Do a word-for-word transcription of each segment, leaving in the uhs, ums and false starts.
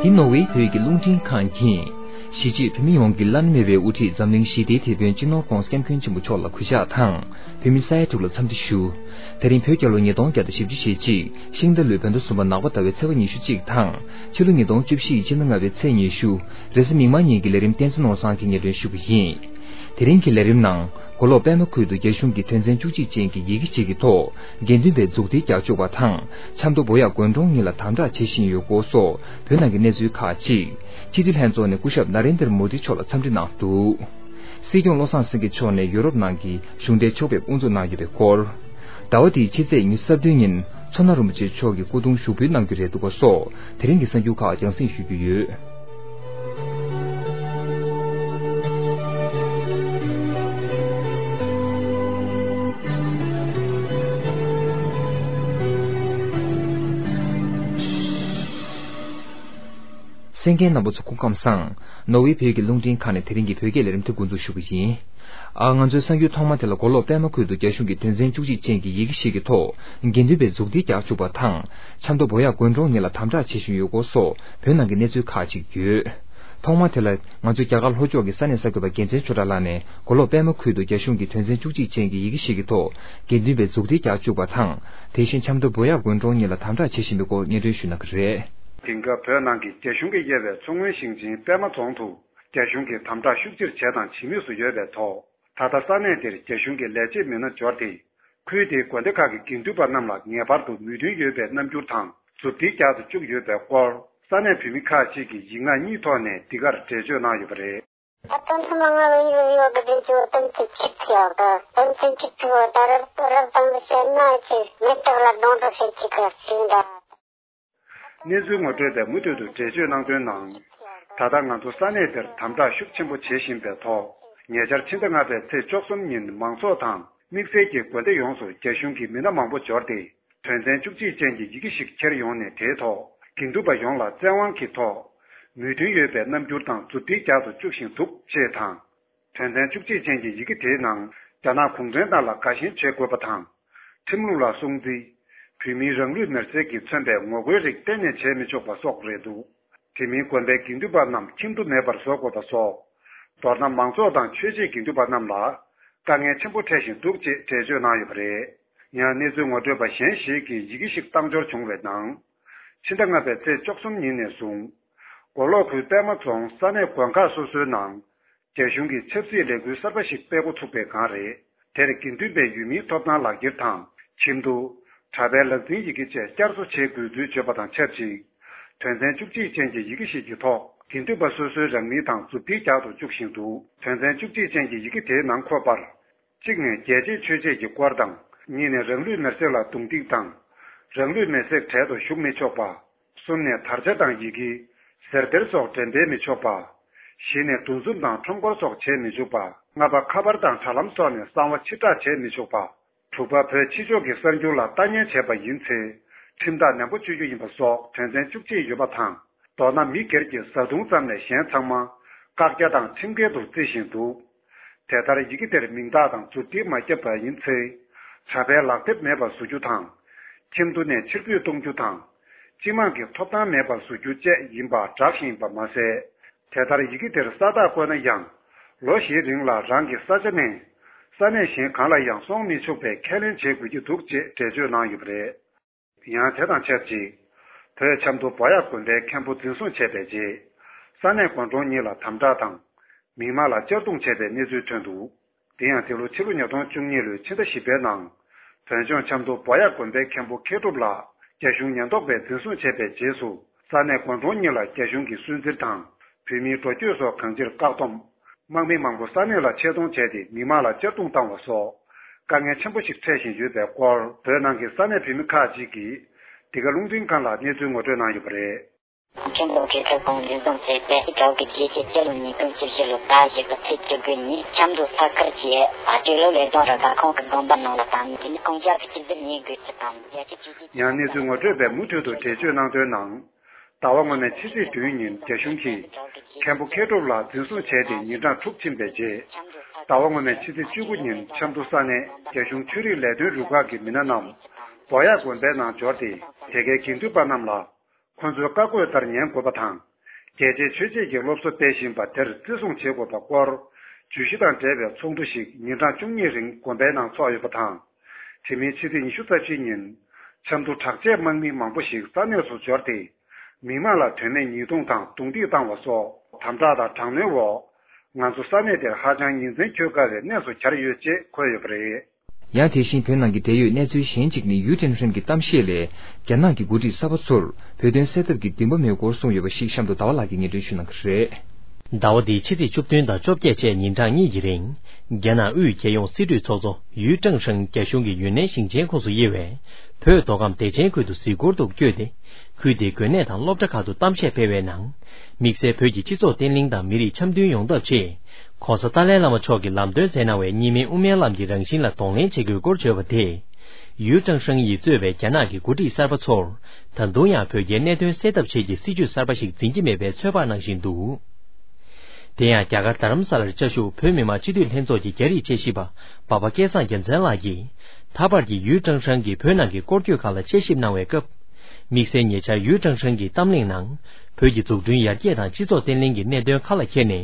འདི་ནོར་ཝེ་བོད་ཀྱི་རླུང་འཕྲིན་ཁང་ཡིན། གཞིས་བྱེས་བོད་མི་ཡོངས་ཀྱི་བླ་ན་མེད་པའི་དབུ་ཁྲིད་འཛམ་གླིང་ཞི་བདེའི་དེད་དཔོན་སྤྱི་ནོར་༧གོང་ས་༧སྐྱབས་མགོན་ཆེན་པོ་མཆོག་ལ་གུས་ཕྱག་དང་། བོད་མི་ས་ཡ་དྲུག་ལ་འཚམས་འདྲི་ཞུ། དེ་རིང་བོད་རྒྱལ་ལོ་ཉིས་སྟོང་བརྒྱ་དང་བཞི་བཅུ་ཞེ་གཅིག་ཤིང་རྟ་ལོའི་བོད་ཟླ་གསུམ་པ་ནག་པ་ཟླ་བའི་ཚེས་པ་ཉི་ཤུ་གཅིག་དང་། ཕྱི་ལོ་ཉིས་སྟོང་བཅུ་བཞི་ཡི་ཕྱི་ཟླ་ལྔ་པའི་ཚེས་ཉི་ཤུ། རེས་གཟའ་མིག་དམར་ཉིན་གྱི་ལས་རིམ་བསྟན་འཛིན་ནོར་བཟང་གིས་སྙན་སྒྲོན་ཞུ་གི་ཡིན། དེ་རིང་གི་ལས་རིམ་ནང་། མགོ་ལོག་པད་མ་ཁུལ་དུ་རྒྱ་གཞུང་གིས་དོན་ཚན་བཅུ་གཅིག་ཅན་གྱི་ཡི་གེ་ཞིག་གི་ཐོག་དགེ་འདུན་པའི་མཛུབ་ཐེལ་རྒྱག་བཅུག་པ་དང་། ཆབ་མདོ་བོ་ཡག་དགོན་གྲོང་གཉིས་ལ་དམ་དྲག་བྱེད་བཞིན་ཡོད་སྐོར་སོགས་བོད་ནང་གི་གནས་ཚུལ་ཁག་ཅིག་སྤྱི་འཐུས་ལྷན་ཚོགས་ནས་སྐུ་ཞབས་ན་རེན་དར་མོ་དི་མཆོག་ལ་འཚམས་འདྲི་གནང་འདུག། སྲིད་སྐྱོང་བློ་བཟང་སེང་གེ་མཆོག་ནས་ཡུ་རོབ་ནང་གི་གཞུང་འབྲེལ་ཕྱོགས་ཕེབས་དབུ་འཛུགས་གནང་ཡོད་པའི་སྐོར། ཟླ་བ་འདིའི་ཕྱི་ཚེས་ཉི་ཤུ་རྩ་བདུན་ཉིན་མཚོ་སྣ་རིན་པོ་ཆེ་མཆོག་གི་སྐུ་གདུང་ཞུགས་འབུལ་གནང་རྒྱུ་རེད་འདུག་པ་སོགས་དེ་རིང་གི་གསར་འགྱུར་ཁག་རྒྱང་སྲིང་ཞུ་རྒྱུ་ཡོད། གསན་མཁན་རྣམ་པ་ཚོ་སྐུ་ཁམས་བཟང་། ནོར་ཝེ་བོད་ཀྱི་རླུང་འཕྲིན་ཁང་ནས་དེ་རིང་གི་བོད་སྐད་ལས་རིམ་དེ་འགོ་འཛུགས་ཞུ་གི་ཡིན། ཨ། ང་ཚོའི་གསར་འགྱུར་ཐོག་མ་དེ་ལ་མགོ་ལོག་པད་མ་ཁུལ་དུ་རྒྱ་གཞུང་གིས་དོན་ཚན་བཅུ་གཅིག་ཅན་གྱི་ཡི་གེ་ཞིག་གི་ཐོག་དགེ་འདུན་པའི་མཛུབ་ཐེལ་རྒྱག་བཅུག་པ་དང་། ཆབ་མདོ་བོ་ཡག་དགོན་གྲོང་གཉིས་ལ་དམ་དྲག་བྱེད་བཞིན་ཡོད་སྐོར་སོགས་བོད་ནང་གི་གནས་ཚུལ་ཁག་ཅིག་ཡོད། ཐོག་མ་དེ་ལ་ང་ཚོའི་རྒྱ་གར་ལྷོ་ཕྱོགས་ཀྱི་ས་གནས་གསར་འགོད་པ་རྒྱལ་མཚན་ཆོས་གྲགས་ལགས་ནས་མགོ་ལོག་པད་མ་ཁུལ་དུ་རྒྱ་གཞུང་གིས་དོན་ཚན་བཅུ་གཅིག་ཅན་གྱི་ཡི་གེ་ཞིག་གི་ཐོག་དགེ་འདུན་པའི་མཛུབ་ཐེལ་རྒྱག་བཅུག་པ་དང་། དེ་བཞིན་ཆབ་མདོ་བོ་ཡག་དགོན་གྲོང་གཉིས་ལ་དམ་དྲག་བྱེད་བཞིན་པའི་སྐོར་སྙན་སྒྲོན་ཞུ་གནང་གི་རེད། དེང་སྐབས་བོད་ནང་གི་རྒྱ་གཞུང་གིས་དབྱེ་བའི་མཚོ་སྔོན་ཞིང་ཆེན་པད་མ་རྫོང་དུ་རྒྱ་གཞུང་གིས་དམ་དྲག་ཤུགས་ཆེར་བྱས་དང་བྱེད་མུས་སུ་ཡོད་པའི་ཐོག་ད་ལྟ་ས་གནས་དེར་རྒྱ་གཞུང་གི་ལས་བྱེད་མི་སྣ་འབྱོར་ཏེ། ཁུལ་དེའི་དགོན་སྡེ་ཁག་གི་དགེ་འདུན་པ་རྣམས་ལ་ངེས་པར་དུ་མོས་མཐུན་ཡོད་པའི་རྣམ་འགྱུར་དང་མཛུབ་ཐེལ་རྒྱག་ཏུ་བཅུག་ཡོད་པའི་སྐོར། ས་གནས་བོད་མི་ཁག་ཅིག་གིས་ཡིག་ངག་གཉིས་ཐོག་ནས་འདི་གར་འགྲེལ་བརྗོད་གནང་ཡོད་པ་རེད། གནས་ཚུལ་ངོ་སྤྲོད་པས་མུ་མཐུད་དུ་འགྲེལ་བརྗོད་གནང་དོན་ནང་། ད་ལྟ་ང་ཚོ་ས་གནས་དེར་དམ་དྲག་ཤུགས་ཆེན་པོ་བྱེད་བཞིན་པའི་ཐོག་ཉེ་ཆར་ཕྱི་ཟླ་ལྔ་པའི་ཚེས་བཅུ་གསུམ་ཉིན་མང་ཚོགས་དང་དམིགས་བསལ་གྱིས་དགོན་སྡེ་ཡོངས་སུ་རྒྱ་གཞུང་གི་མི་སྣ་མང་པོ་འབྱོར་ཏེ། དོན་ཚན་བཅུ་གཅིག་ཅན་གྱི་ཡི་གེ་ཞིག་འཁྱེར་ཡོང་ནས་དེའི་ཐོག་དགེ་འདུན་པ་ཡོངས་ལ་བཙན་དབང་གི་ཐོག་མོས་མཐུན་ཡོད་པའི་རྣམ་འགྱུར་དང་མཛུབ་ཐེལ་རྒྱག་ཏུ་བཅུག་བཞིན་འདུག་ཅེས་དང་། དོན་ཚན་བཅུ་གཅིག་ཅན་གྱི་ཡི་གེ་དེའི་ནང་རྒྱ་ནག་གུང་ཁྲན་ཏང་ལ་དགའ་ཞེན་བྱེད་དགོས་པ་དང་། ཁྲིམས་ལུགས་ལ་སྲུང་བརྩི། བོད་མིའི་རང་ལུས་མེར་སྲེག་གིས་མཚོན་པའི་ངོ་རྒོལ་རིགས་གཏན་ནས་བྱེད་མི་ཆོག་པ་སོགས་རེད་འདུག། དེ་མིན་དགོན་པའི་དགེ་འདུན་པ་རྣམས་ཁྱིམ་དུ་མེད་པར་བཟོ་དགོས་པ་སོགས། མདོར་ན་མང་ཚོགས་དང་ཆོས་བྱེད་དགེ་འདུན་པ་རྣམས་ལ་དཀའ་ངལ་ཆེན་པོ་འཕྲད་བཞིན་འདུག་ཅེས་འགྲེལ་བརྗོད་གནང་ཡོད་པ་རེད། ཡང་གནས་ཚུལ་ངོ་སྤྲོད་པ་གཞན་ཞིག་གིས་ཡི་གེ་ཞིག་བཏང་འབྱོར་བྱུང་བའི་ནང་། ཕྱི་ཟླ་ལྔ་པའི་ཚེས་བཅུ་གསུམ་ཉིན་ནས་བཟུང་། མགོ་ལོག་ཁུལ་པད་མ་རྫོང་ས་གནས་དགོན་ཁག་སོ་སོའི་ནང་། རྒྱ་གཞུང་གིས་ཆབ་སྲིད་ལས་འགུལ་གསར་པ་ཞིག་སྤེལ་འགོ་ཚུགས་པའི་སྒང་རེད། དེར་དགེ་འདུན་པའི་ཡུལ་མིའི་ཐོབ་ཐང་ལག་འཁྱེར་དང་ཁྱིམ་ཐོ། གྲྭ་པའི་ལག་འཛིན་ཡི་གེ་བཅས་བསྐྱར་གསོ་བྱེད་དགོས་ཚུལ་བརྗོད་པ་དང་ཆབས་ཅིག་དོན་ཚན་བཅུ་གཅིག་ཅན་གྱི་ཡི་གེ་ཞིག་གི་ཐོག་དགེ་འདུན་པ་སོ་སོའི་རང་མིང་དང་མཛུབ་ཐེལ་རྒྱག་ཏུ་བཅུག་བཞིན་འདུག་དོན་ཚན་བཅུ་གཅིག་ཅན་གྱི་ཡི་གེ་དེའི་ནང་འཁོད་པར། གཅིག་ནས་རྒྱལ་གཅེས་ཆོས་གཅེས་ཀྱི་སྐོར་དང་། གཉིས་ནས་རང་ལུས་མེར་སྲེག་ལ་རྡུང་རྡེག་དང་། རང་ལུས་མེར་སྲེག་གྲལ་དུ་ཞུགས་མི་ཆོག་པ། གསུམ་ནས་དར་ཆ་དང་ཡི་གེ། ཟེར་སྡེར་སོགས་འགྲེམས་སྤེལ་མི་ཆོག་པ། བཞི་ནས་འདུ་འཛོམས་དང་ཁྲོམ་སྐོར་སོགས་བྱེད་མི་འཇུག་པ། ལྔ་པ་ཁ་པར་དང་དྲ་ལམ་སོགས་ནས་གསང་བ་ཕྱིར་བསྒྲགས་བྱེད་མི་ཆོག་པ། དྲུག་པ་བོད་ཕྱི་ཕྱོགས་ཀྱི་གསར་འགྱུར་ལ་ལྟ་ཉན་བྱས་པ་ཡིན་ཚེ། ཁྲིམས་ཐག་ནན་པོ་གཅོད་རྒྱུ་ཡིན་པ་སོགས་དོན་ཚན་བཅུ་གཅིག་ཡོད་པ་དང་། མདོར་ན་མི་སྒེར་གྱི་བཟའ་བཏུང་ཙམ་ལས་གཞན་ཚང་མ་བཀག་རྒྱ་དང་ཁྲིམས་འགལ་དུ་བརྩི་བཞིན་འདུག་དེ་ལྟར་ཡི་གེ་དེར་མིང་རྟགས་དང་མཛུབ་ཐེལ་མ་བརྒྱབ་པ་ཡིན་ཚེ། གྲྭ་པའི་ལག་དེབ་མེད་པར་བཟོ་རྒྱུ་དང་། ཁྱིམ་དུ་ནས་ཕྱིར་འབུད་གཏོང་རྒྱུ་དང་། སྤྱི་དམངས་ཀྱི་ཐོབ་ཐང་མེད་པར་བཟོ་རྒྱུ་བཅས་ཡིན་པ་བསྒྲགས་བཞིན་ཡིན་པ་མ་ཟད། དེ་ལྟར་ཡི་གེ་དེར་ས་རྟགས་བཀོད་ན་ཡང་། ལོ་བཞིའི་རིང་ལ་རང་གི་ས་ཆ་ནས། ས་གནས་གཞན་གང་ལ་ཡང་སོང་མི་ཆོག་པའི་ཁས་ལེན་བྱེད་དགོས་ཀྱི་འདུག་ཅེས་འགྲེལ་བརྗོད་གནང་ཡོད་པ་རེད། ཡང་དེ་དང་ཆབས་ཅིག་བོད་ཆབ་མདོ་བོ་ཡག་དགོན་པའི་མཁན་པོ་འཛིན་བཟུང་བྱས་པའི་རྗེས། ས་གནས་དགོན་གྲོང་གཉིས་ལ་དམ་དྲག་དང་། མི་མང་ལ་གཅར་རྡུང་བྱས་པའི་གནས་ཚུལ་ཐོན་འདུག་དེ་ཡང་འདི་ལོ་ཕྱི་ལོ་ཉིས་སྟོང་བཅུ་གཉིས་ལོའི་ཕྱི་ཟླ་བཞི་པའི་ནང་། བོད་ལྗོངས་ཆབ་མདོ་བོ་ཡག་དགོན་པའི་མཁན་པོ་མཁས་གྲུབ་ལགས་རྒྱ་གཞུང་ཉེན་རྟོག་པས་འཛིན་བཟུང་བྱས་པའི་རྗེས་སུ། ས་གནས་དགོན་གྲོང་གཉིས་ལ་རྒྱ་གཞུང་གིས་སུན་གཙེར་དང་། བོད་མིའི་འགྲོ་སྐྱོད་སོགས་གང་ཅིར་བཀག་སྡོམ། དམག་མི་མང་པོ་ས་གནས་ལ་ཆེད་གཏོང་བྱས་ཏེ་མི་མང་ལ་གཅར་རྡུང་བཏང་བ་སོགས། དཀའ་ངལ་ཆེན་པོ་ཞིག་འཕྲད་བཞིན་ཡོད་པའི་སྐོར་བོད་ནང་གི་ས་གནས་བོད་མི་ཁག་ཅིག་གིས། འདི་ག་རླུང་འཕྲིན་ཁང་ལ་གནས་ཚུལ་ངོ་སྤྲོད་གནང་ཡོད་པ་རེད། མཁན་པོ་མཁས་གྲུབ་ཁོང་འཛིན་བཟུང་བྱས་ཏེ་གྲོགས་ཀྱི་རྗེས་ཀྱི་སྤྱི་ལོ་ཉིས་སྟོང་བཅུ་བཞི་ལོའི་ཟླ་བཞི་པའི་ཚེས་བཅུ་དགུ་ཉིན་ཆབ་མདོ་ས་ཁུལ་གྱི་ཨ་སྤྲེལ་ལོ་ལས་དོན་རུ་ཁག་ཁོང་གི་དགོན་པ་ནང་ལ་བཏང་ནས། དེ་ནས་ཁོང་ཞབས་ཕྱི་ཟུར་ཉིན་དགོས་ཚུལ་དང་། རྒྱལ་སྤྱི་ཆོས་བརྒྱུད་ཀྱི། ཡང་གནས་ཚུལ་ངོ་སྤྲོད་པས་མུ་མཐུད་དུ་འགྲེལ་བརྗོད་གནང་དོན་ནང་། ཟླ་བ་སྔོན་མའི་ཕྱི་ཚེས་བདུན་ཉིན་རྒྱ་གཞུང་གིས་མཁན་པོ་མཁས་གྲུབ་ལགས་འཛིན་བཟུང་བྱས་ཏེ་ཉིན་གྲངས་དྲུག་ཕྱིན་པའི་རྗེས། ཟླ་བ་སྔོན་མའི་ཕྱི་ཚེས་བཅུ་དགུ་ཉིན་ཆབ་མདོ་ས་གནས་རྒྱ་གཞུང་ཆོས་རིག་ལས་དོན་རུ་ཁག་གི་མི་སྣ་རྣམས་བོ་ཡག་དགོན་པའི་ནང་འབྱོར་ཏེ། དེ་གའི་དགེ་འདུན་པ་རྣམས་ལ། ཁོ་ཚོའི་བཀའ་བཀོད་ལྟར་ཉན་དགོས་པ་དང་ རྒྱལ་གཅེས་ཆོས་གཅེས་ཀྱི་སློབ་གསོ་སྤེལ་བཞིན་པ་དེར་བརྩི་སྲུང་བྱེད་དགོས་པ་སྐོར་བརྗོད་གཞི་དང་འབྲེལ་བའི་ཚོགས་འདུ་ཞིག་ཉིན་གྲངས་བཅུ་གཉིས་རིང་དགོན་པའི་ནང་འཚོགས་ཡོད་པ་དང་། དེ་མིན་ཕྱི་ཚེས་ཉི་ཤུ་རྩ་བཞི་ཉིན་ཆབ་མདོ་དྲག་ཆས་དམག་མི་མང་པོ་ཞིག་ས་གནས་སུ་འབྱོར་ཏེ། མི་དམངས་ལ་དོན་མེད་ཉེས་རྡུང་དང་རྡུང་རྡེག་བཏང་བ་སོགས་དམ་དྲག་དང་དྲག་གནོན་འོག་ང་ཚོ་ས་གནས་དེར་ཧ་ཅང་ཉིན་མཚན་འཁྱོལ་དཀའ་བའི་གནས་སུ་གྱར་ཡོད་ཅེས་འཁོད་ཡོད་པ་རེད། ཡང་དེ་བཞིན་བོད་ནང་གི་འབྲེལ་ཡོད་གནས་ཚུལ་གཞན་གཅིག་ནི་ཡུས་ཀྲེང་ཧྲེང་གི་གཏམ་བཤད་ལས། རྒྱ་ནག་གི་འགོ་ཁྲིད་གསར་པ་ཚོར་བོད་དོན་སེལ་ཐབས་ཀྱི་འདུན་པ་མེད་སྐོར་གསུངས་ཡོད་པ་ཞིག་གཤམ་དུ་ཟླ་བ་ལགས་ཀྱིས་སྙན་སྒྲོན་ཞུ་གནང་གི་རེད། ཟླ་བ་འདིའི་ཕྱི་ཚེས་བཅུ་བདུན་དང་བཅོ་བརྒྱད་བཅས་ཉིན་གྲངས་གཉིས་ཀྱི་རིང་། རྒྱ་ནག་དབུས་རྒྱལ་ཡོངས་སྲིད་གྲོས་ཚོགས་གཙོ་ཡུས་ཀྲེང་ཧྲེང་རྒྱ་གཞུང་གི་ཡུན་ནན་ཞིང་ཆེན་ཁོངས་སུ་དབྱེ་བའི་བོད་མདོ་ཁམས་བདེ་ཆེན་ཁུལ་དུ་གཟིགས་སྐོར་དུ་བསྐྱོད་དེ། ཁུལ་དེའི་དགོན་གནས་དང་སློབ་གྲྭ་ཁག་ཏུ་གཏམ་བཤད་སྤེལ་བའི་ནང་། དམིགས་བསལ་བོད་ཀྱི་སྤྱི་ཚོགས་བརྟན་ལྷིང་དང་མི་རིགས་འཆམ་མཐུན་ཡོང་ཐབས་ཆེད། ྋགོང་ས་ཏཱ་ལའི་བླ་མ་མཆོག་གི་ལམ་སྟོན་མཛད་གནང་བའི་གཉིས་སྨན་དབུ་མའི་ལམ་གྱི་རང་བཞིན་ལ་གདོང་ལེན་བྱེད་དགོས་སྐོར་བརྗོད་པ་དེས། ཡུས་ཀྲེང་ཧྲེང་ཡིས་གཙོས་པའི་རྒྱ་ནག་གི་འགོ་ཁྲིད་གསར་པ་ཚོར། ད་དུང་ཡང་བོད་རྒྱའི་གནད་དོན་སེལ་ཐབས་ཆེད་ཀྱི་སྲིད་བྱུས་གསར་པ་ཞིག་འཛིན་གྱི་མེད་པའི་ཚོད་དཔག་གནང་བཞིན་འདུག་དེ་ཡང་རྒྱ་གར་རྡ་རམ་ས་ལར་བཅའ་བཞུགས་བོད་མི་མང་སྤྱི་འཐུས་ལྷན་ཚོགས་ཀྱི་རྒྱ་རིགས་དཔྱད་ཞིབ་པ་འབའ་པ་སྐལ་བཟང་རྒྱལ་མཚན་ལགས་ཀྱིས། ད་བར་གྱི་ཡུས་ཀྲེང་ཧྲེང་གིས་བོད་ནང་གི་སྐོར་སྐྱོད་ཁག་ལ་དཔྱད་ཞིབ་གནང་བའི་སྐབས། དམིགས་བསལ་ཉེ་ཆར་ཡུས་ཀྲེང་ཧྲེང་གིས་གཏམ་གླེང་ནང་། བོད་ཀྱི་འཛུགས་སྐྲུན་ཡར་རྒྱས་དང་སྤྱི་ཚོགས་བརྟན་ལྷིང་གི་གནད་དོན་ཁ་ལ་འཁྱེར་ནས།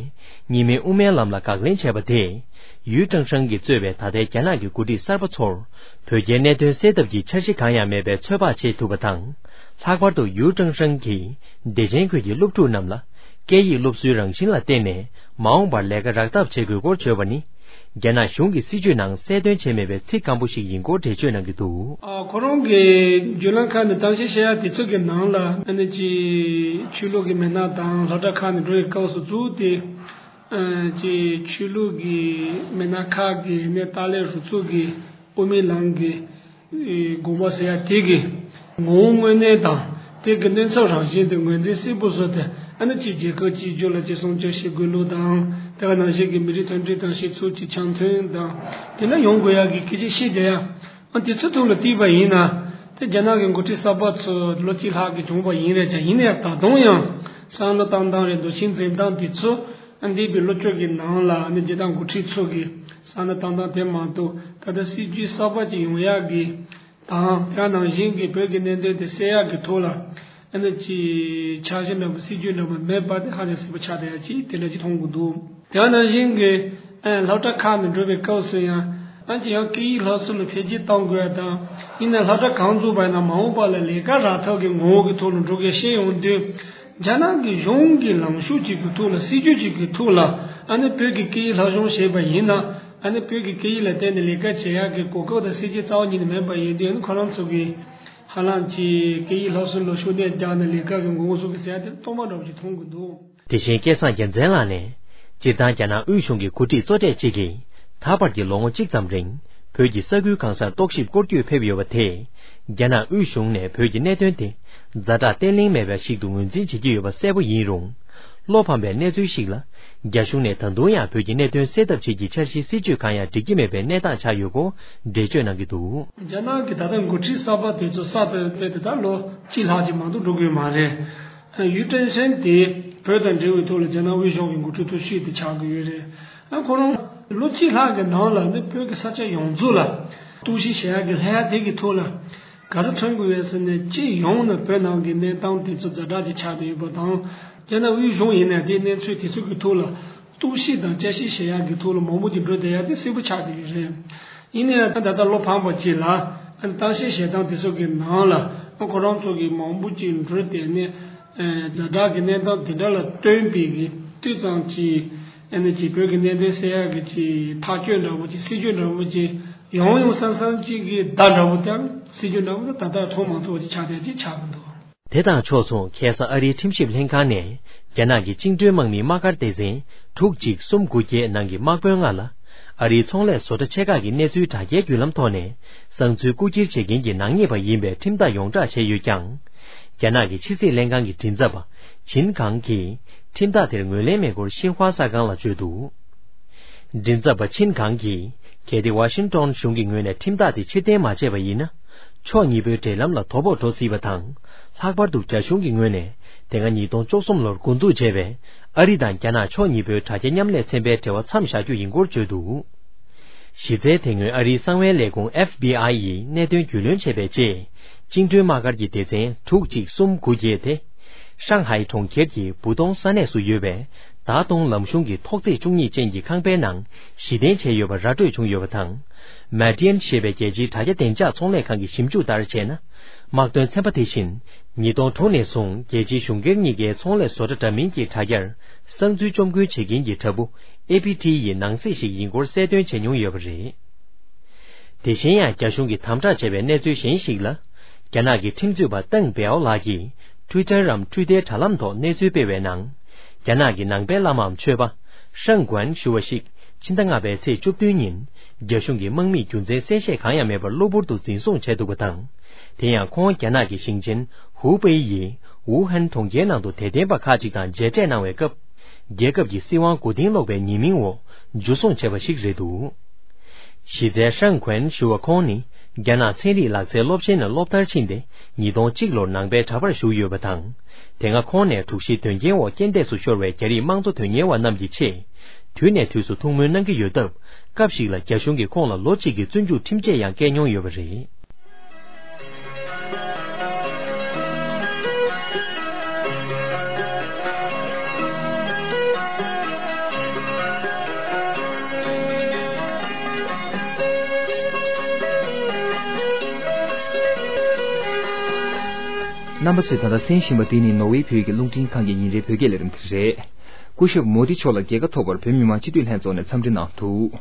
གཉིས་སྨན་དབུ་མའི་ལམ་ལ་དགག་ལན་བྱས་པ་དེས། ཡུས་ཀྲེང་ཧྲེང་གིས་གཙོས་པའི་ད་ལྟའི་རྒྱ་ནག་གི་འགོ་ཁྲིད་གསར་པ་ཚོར། བོད་རྒྱའི་གནད་དོན་སེལ་ཐབས་ཀྱི་འཆར་གཞི་གང་ཡང་མེད་པའི་ཚོད་དཔག་བྱེད་ཐུབ་པ་དང་། ལྷག་པར་དུ་ཡུས་ཀྲེང་ཧྲེང་གིས། བདེ་ཆེན་ཁུལ་གྱི་སློབ་ཕྲུག་རྣམས་ལ། སྐད་ཡིག་སློབ་གསོའི་རང་བཞིན་ལ་བརྟེན་ནས། མ་འོངས་པར་ལས་ཀ་རག་ཐབས་བྱེད་དགོས་སྐོར་བརྗོད་པ་ནི། རྒྱ་ནག་གཞུང་གི་སྲིད་བྱུས་ནང་གསལ་སྟོན་བྱས་མེད་པའི་ཚིག་སྐམ་པོ་ཞིག་ཡིན་སྐོར་འགྲེལ་བརྗོད་གནང་གི་འདུག་ཨ། ཁོ་རང་གི་བརྒྱུད་ལམ་ཁག་ནས་གཏམ་བཤད་བཤད་ཡ་དེ་ཚོ་གི་ནང་ལ། ཨ་ནི་ཅིག་ཆོས་ལུགས་ཀྱི་མི་སྣ་དང་སློབ་གྲྭ་ཁག་ནས་འགྲོ་བའི་སྐབས་སུ་བཙུགས་ཏེ། ཨ། ཅིག་ཆོས་ལུགས་ཀྱི་མི་སྣ་ཁག་གིས་ནི་ཏཱ་ལའི་རུ་ཚོགས་ཀྱི་དབུ་མའི་ལམ་གྱི་དགོངས་པ་ཟེར་ཡ་དེ་གི་ངོ་བོ་དངོས་གནས་དང་། དེ་གི་གནོད་ཚབས་རང་བཞིན་དེ་ངོས་འཛིན་གསལ་པོ་བཟོས་ཏེ། ཨ་ནི་ཅིག་རྒྱལ་ཁབ་གཅིག་གྱུར་ལ་ཅིག་སྲུང་སྐྱོབ་བྱེད་དགོས་ལུགས་དང་། དེ་ག་ནང་བཞིན་གྱི་མི་རིགས་མཐུན་སྒྲིལ་དང་སྤྱི་ཚོགས་ཀྱི་འཆམ་མཐུན་དང་། དེ་ལ་ཡོང་དགོས་ཡག་གི་སྐད་ཆ་བཤད་བསྡད་ཡ། ཨ། དེ་ཚོ་ཐོག་ལ་བལྟས་པ་ཡིན་ན། དེ་རྒྱ་ནག་གི་འགོ་ཁྲིད་གསར་པ་ཚོ་ལོ་གཅིག་ལྷག་གི་བྱུང་བ་ཡིན་རེད་ཀྱང་། ཡིན་ནའི་ད་དུང་ཡང་བསམ་བློ་བཏང་སྟངས་རེད། འདུ་ཤེས་འཛིན་སྟངས་དེ་ཚོ། ཨ། འདས་པའི་ལོ་བཅུ་གི་ནང་ལ་ནི་རྒྱལ་དར་འགོ་ཁྲིད་ཚོ་གི་བསམ་བློ་བཏང་སྟངས་དེ་མ་གཏོགས། ད་ལྟ་སྲིད་ཇུས་གསར་པ་ཅིག་ཡོང་ཡག་གི་དང་། དེ་ནང་བཞིན་གྱི་བོད་ཀྱི་གནད་དོན་དེ་སེལ་ཡག་གི་ཐོག་ལ། ཨ་ནི་ཅིག་འཆར་གཞི་འདྲ་པོ། སྲིད་ཇུས་འདྲ་པོ་མེད་པ་དེ་ཧ་ཅང་གསལ་པོ་ཆགས་བསྡད་ཡ་ཅིག་དེ་འདྲ་ཅིག་མཐོང་གི་འདུག་དེ་ནང་བཞིན་གྱི། ཨ། སློབ་གྲྭ་ཁག་ནང་འགྲོ་བའི་སྐབས་སུ་ཡང་། ཨ། ཅིག་ཡང་སྐད་ཡིག་སློབ་གསོ་ལ་འཕེལ་རྒྱས་གཏོང་དགོས་ཡ་དང་། ཡིན་ནའི་སློབ་གྲྭ་གང་བཙུགས་པ་ཡིན་ན། མ་འོངས་པ་ལ་ལས་ཀ་རག་ཐབས་ཀྱི་ངོ་བོ་གི་ཐོག་ལ་འགྲོ་དགོས་བཤད་ཡོང་དུས། རྒྱ་ནག་གི་གཞུང་གི་ལངས་ཕྱོགས་ཅིག་གི་ཐོག་ལ། སྲིད་ཇུས་ཅིག་གི་ཐོག་ལ། ཨ་ནི་བོད་ཀྱི་སྐད་ཡིག་སློབ་སྦྱོང་བྱས་པ་ཡིན་ན། ཨ་ནི་བོད་ཀྱི་སྐད་ཡིག་ལ་བརྟེན་ནས་ལས་ཀ་བྱེད་ཡག་གི་གོ་སྐབས་དང་སྲིད་ཇུས་རྩ་བ་ཉིད་ནས་མེད་པ་ཡིན་དུས། ཨ་ནི་ཁོ་རང་ཚོ་གིས་ཧ་ལམ་ཅིག་སྐད་ཡིག་སློབ་གསོ་ལ་ཤུགས་སྣོན་རྒྱག་ནས་ལས་ཀ་གི་འགོ་འཛུགས་ཀྱི་ཟེར་ཡ་དེ་སྟོང་པ་འདྲ་པོ་ཅིག་མཐོང་གི་འདུག་དེ་བཞིན་སྐལ་བཟང་རྒྱལ་མཚན་ལགས་ནས། སྤྱིར་བཏང་རྒྱ་ནག་དབུས་གཞུང་གི་འགོ་ཁྲིད་གཙོ་གྲས་གཅིག་གིས། ད་བར་གྱི་ལོ་ངོ་གཅིག་ཙམ་རིང་། བོད་ཀྱི་ས་ཁུལ་གང་སར་རྟོག་ཞིབ་སྐོར་སྐྱོད་ཕེབས་ཡོད་པ་དེས། རྒྱ་ནག་དབུས་གཞུང་ནས་བོད་ཀྱི་གནད་དོན་དེ། ཛ་དྲག་བརྟན་བརླིང་མེད་པ་ཞིག་ཏུ་ངོས་འཛིན་བྱེད་ཀྱི་ཡོད་པ་གསལ་པོ་ཡིན་རུང་། བློ་ཕམ་པའི་གནས་ཚུལ་ཞིག་ལ། རྒྱ་གཞུང་ནས་ད་དུང་ཡང་བོད་ཀྱི་གནད་དོན་སེལ་ཐབས་ཆེད་ཀྱི་འཆར་གཞི་སྲིད་ཇུས་གང་ཡང་སྒྲིག་གི་མེད་པའི་གནས་སྟངས་ཆགས་ཡོད་སྐོར་འགྲེལ་བརྗོད་གནང་གི་འདུག་རྒྱ་ནག་གི་ད་ལྟ་འགོ་ཁྲིད་གསར་པ་དེ་ཚོ་གསར་དུ་ཕེབས་ཏེ་ད་ལོ་གཅིག་ལྷག་ཅིག་མ་གཏོགས་འགྲོ་གི་ཡོད་མ་རེད། ཡུས་ཀྲེང་ཧྲེང་དེ་བོད་དང་འབྲེལ་བའི་ཐོག་ལ་རྒྱ་ནག་དབུས་གཞུང་གི་འགོ་ཁྲིད་ཐོག་ཤོས་དེ་ཆགས་ཀྱི་ཡོད་རེད། ཨ། ཁོ་རང་ལོ་གཅིག་ལྷག་གི་ནང་ལ་ནི་བོད་ཀྱི་ས་ཆ་ཡོངས་རྫོགས་ལ་རྟོག་ཞིབ་བྱེད་ཡག་གི་ལྷ་ཡག་དེ་གི་ཐོག་ལ་ག་རེ་ཐོན་དགོས་ཡོད་ཟེར་ན། སྤྱི་ཡོངས་ནས་བོད་ནང་གི་གནས་སྟངས་དེ་ཚོ་ཛ་དྲག་ཅིག་ཆགས་བསྡད་ཡོད་པ་དང་། རྒྱ་ནག་དབུས་གཞུང་ཡིན་ན་དེའི་གནས་ཚུལ་དེ་ཚོ་གི་ཐོག་ལ་རྟོག་ཞིབ་དང་དཔྱད་ཞིབ་བྱེད་ཡག་གི་ཐོག་ལ་མང་པོ་ཅིག་འགྲོ་བསྡད་ཡག་དེ་གསལ་པོ་ཆགས་བསྡད་ཡོད་རེད། ཡིན་ནའི་ད་ལྟ་བློ་ཕམ་པ་ཅིག་ལ། ཨ། གཏམ་བཤད་བྱེད་སྟངས་དེ་ཚོ་གི་ནང་ལ། ཨ། ཁོ་རང་ཚོ་གི་མང་པོ་ཅིག་འགྲོ་བསྡད་ནས། ཨ། ཛ་དྲག་གི་གནས་སྟངས་དེ་འདྲ་ལ་བསྟུན་པའི་གི་ཏོག་ཙམ་ཅིག་ཨ་ནི་ཅིག་བོད་ཀྱི་གནད་དོན་སེལ་ཡག་གི་ཅིག་ཐག་གཅོད་འདྲ་པོ་ཅིག་སྲིད་ཇུས་འདྲ་པོ་ཅིག་ཡོང་ཡོང་བསམ་བསམ་ཅིག་གི་བརྡ་འདྲ་པོ་དང་། སྲིད་ཇུས་འདྲ་པོ་དེ་ད་ལྟ་མཐོང་མ་ཐུབ་པ་ཅིག་ཆགས་བསྡད་ཅིག་ཆགས་ཀྱི་འདུག་དེ་དང་ཕྱོགས་མཚུངས། ཁ་སང་ཨ་རིའི་ཁྲིམས་ཞིབ་ལྷན་ཁང་ནས་རྒྱ་ནག་གི་བཅིངས་འགྲོལ་དམག་མིའི་དམག་སྒར་སྡེ་ཚན་དྲུག་གཅིག་གསུམ་དགུ་བརྒྱད་ནང་གི་དམག་དཔོན་ལྔ་ལ། ཨ་རིའི་ཚོང་ལས་བཟོ་གྲྭ་ཆེ་ཁག་གི་གནས་ཚུལ་དྲ་རྒྱའི་བརྒྱུད་ལམ་ཐོག་ནས་བསང་ཚུལ་རྐུ་འཁྱེར་བྱེད་མཁན་གྱི་ནག་ཉེས་པ་ཡིན་པའི་ཁྲིམས་ཐག་ཡོངས་བསྒྲགས་བྱས་ཡོད་ཀྱང་། རྒྱ་ནག་གི་ཕྱི་སྲིད་ལྷན་ཁང་གི་མགྲིན་ཚབ་པ་ཆིན་གང་གིས་ཁྲིམས་ཐག་དེར་ངོས་ལེན་མེད་སྐོར་ཤིན་ཧྭ་གསར་ཁང་ལ་བརྗོད་འདུག་མགྲིན་ཚབ་པ་ཆིན་གང་གིས། གལ་ཏེ་ཝ་ཤིང་ཏོན་གཞུང་གི་ངོས་ནས་ཁྲིམས་ཐག་དེ་ཕྱིར་འཐེན་མ་བྱས་པ་ཡིན་ན། ཕྱོགས་གཉིས་པོའི་འབྲེལ་ལམ་ལ་དོ་ཕོག་འགྲོ་སྲིད་པ་དང་། ལྷག་པར་དུ་རྒྱ་གཞུང་གི་ངོས་ནས་དེ་སྔ་ཉིས་སྟོང་བཅུ་གསུམ་ལོར་འགོ་འཛུགས་བྱས་པའི་ཨ་རི་དང་རྒྱ་ནག་ཕྱོགས་གཉིས་པོའི་དྲ་རྒྱ་མཉམ་ལས་ཚན་པའི་འབྲེལ་བ་མཚམས་བཞག་རྒྱུ་ཡིན་སྐོར་བརྗོད་འདུག་གཞི་རྩའི་དེ་སྔོན་ཨ་རིའི་གསང་བའི་ལས་ཁུངས་ཨེཕ་བི་ཨའི་ཡིས་གནད་དོན་རྒྱུས་ལོན་བྱས་པའི་རྗེས། བཅིངས་འགྲོལ་དམག་སྒར་གྱི་སྡེ་ཚན་དྲུག་གཅིག་གསུམ་དགུ་བརྒྱད་དེ། ཧྲང་ཧའེ་གྲོང་ཁྱེར་གྱི་བུ་ཏོང་ས་གནས་སུ་ཡོད་པའི་ད་ཏོང་ལམ་གཞུང་གི་ཐོག་བརྩེགས་བཅུ་གཉིས་ཅན་གྱི་ཁང་པའི་ནང་ཞི་བརྟན་བྱས་ཡོད་པ་ར་སྤྲོད་བྱུང་ཡོད་པ་དང་། མ་ཏིན་ཞེས་པའི་རྒྱལ་སྤྱིའི་དྲ་རྒྱ་བདེ་འཇགས་ཚོང་ལས་ཁང་གི་ཞིབ་འཇུག་ལྟར་བྱས་ན། དམག་དོན་ཚན་པ་དེ་བཞིན་ཉིས་སྟོང་དྲུག་ནས་བཟུང་རྒྱལ་སྤྱིའི་གཞུང་སྒེར་གཉིས་ཀའི་ཚོང་ལས་བཟོ་གྲྭ་འདྲ་མིན་གྱི་དྲ་རྒྱར་གསང་འཛུལ་བཅོམ་རྐུན་བྱེད་མཁན་གྱི་དྲ་འབུ་ཨེ་པི་ཊི་ཡི་ནང་གསེས་ཤིག་ཡིན་སྐོར་གསལ་སྟོན་བྱས་མྱོང་ཡོད་པ་རེད། དེ་བཞིན་ཡང་རྒྱ་གཞུང་གིས་དམ་དྲག་བྱས་པའི་གནས་ཚུལ་གཞན་ཞིག་ལ། རྒྱ་ནག་གི་ཁྲིམས་རྩོད་པ་ཏེང་པེའོ་ལགས་ཀྱིས་ཊུའི་ཊར་རམ་འཕྲུལ་སྡེའི་དྲ་ལམ་ཐོག་གནས་ཚུལ་སྤེལ་བའི་ནང་། རྒྱ་ནག་གི་ནང་པའི་བླ་མའམ་ཆོས་པ་ཧྲང་ཀོན་ཞུ་བ་ཞིག་ཕྱི་ཟླ་ལྔ་པའི་ཚེས་བཅུ་བདུན་ཉིན་རྒྱ་གཞུང་གིས་དམག་མིས་རྒྱུ་མཚན་གསལ་བཤད་གང་ཡང་མེད་པར་གློ་བུར་དུ་འཛིན་བཟུང་བྱས་འདུག་པ་དང་། དེ་ཡང་ཁོང་རྒྱ་ནག་གི་ཞིང་ཆེན་ཧུའུ་པེ་ཡི་ཝུ་ཧན་གྲོང་ཁྱེར་ནང་དུ་དད་ལྡན་པ་ཁག་ཅིག་དང་མཇལ་འཕྲད་གནང་བའི་སྐབས། རྒྱལ་ཁབ་ཀྱི་སྲིད་དབང་མགོ་རྟིང་སློག་པའི་ཉེས་མིང་འོག་འཇུ་བཟུང་བྱས་པ་ཞིག་རེད་འདུག་གཞི་རྩའི་ཧྲང་ཁོན་ཞུ་བ་ཁོང་ནི་རྒྱ་ནག་ཚན་རིག་ལག་རྩལ་སློབ་ཆེན་ནས་སློབ་མཐར་ཕྱིན་ཏེ་ཉིས་སྟོང་གཅིག་ལོར་ནང་པའི་གྲྭ་པར་ཞུགས་ཡོད་པ་དང་། དེ་སྔ་ཁོང་ནས་དྲུག་བཞིའི་དོན་རྐྱེན་འོག་རྐྱེན་འདས་སུ་ཤོར་བའི་རྒྱ་རིགས་དམངས་གཙོ་དོན་གཉེར་བ་རྣམས་ཀྱི་ཆེད་དུས་ནས་དུས་སུ་ཐུགས་སྨོན་གནང་གི་ཡོད་སྟབས། སྐབས་ཤིག་ལ་རྒྱ་གཞུང་གིས་ཁོང་ལ་ལོ་གཅིག་གི་བཙོན་འཇུག་ཁྲིམས་ཆད་ཡང་བཀལ་མྱོང་ཡོད་པ་རེད། རྣམ་པ་ཚོས་ད་ལྟ་གསན་བཞིན་པ་འདི་ནི་ནོར་ཝེ་བོད་ཀྱི་རླུང་འཕྲིན་ཁང་གི་ཉིན་རེའི་བོད་སྐད་ལས་རིམ་དེ་རེད། སྐུ་ཞབས་མོ་དི་མཆོག་ལ་རྒྱལ་ཁ་ཐོབ་པར་བོད་མི་མང་སྤྱི་འཐུས་ལྷན་ཚོགས་ནས་འཚམས་འདྲི་གནང་འདུག་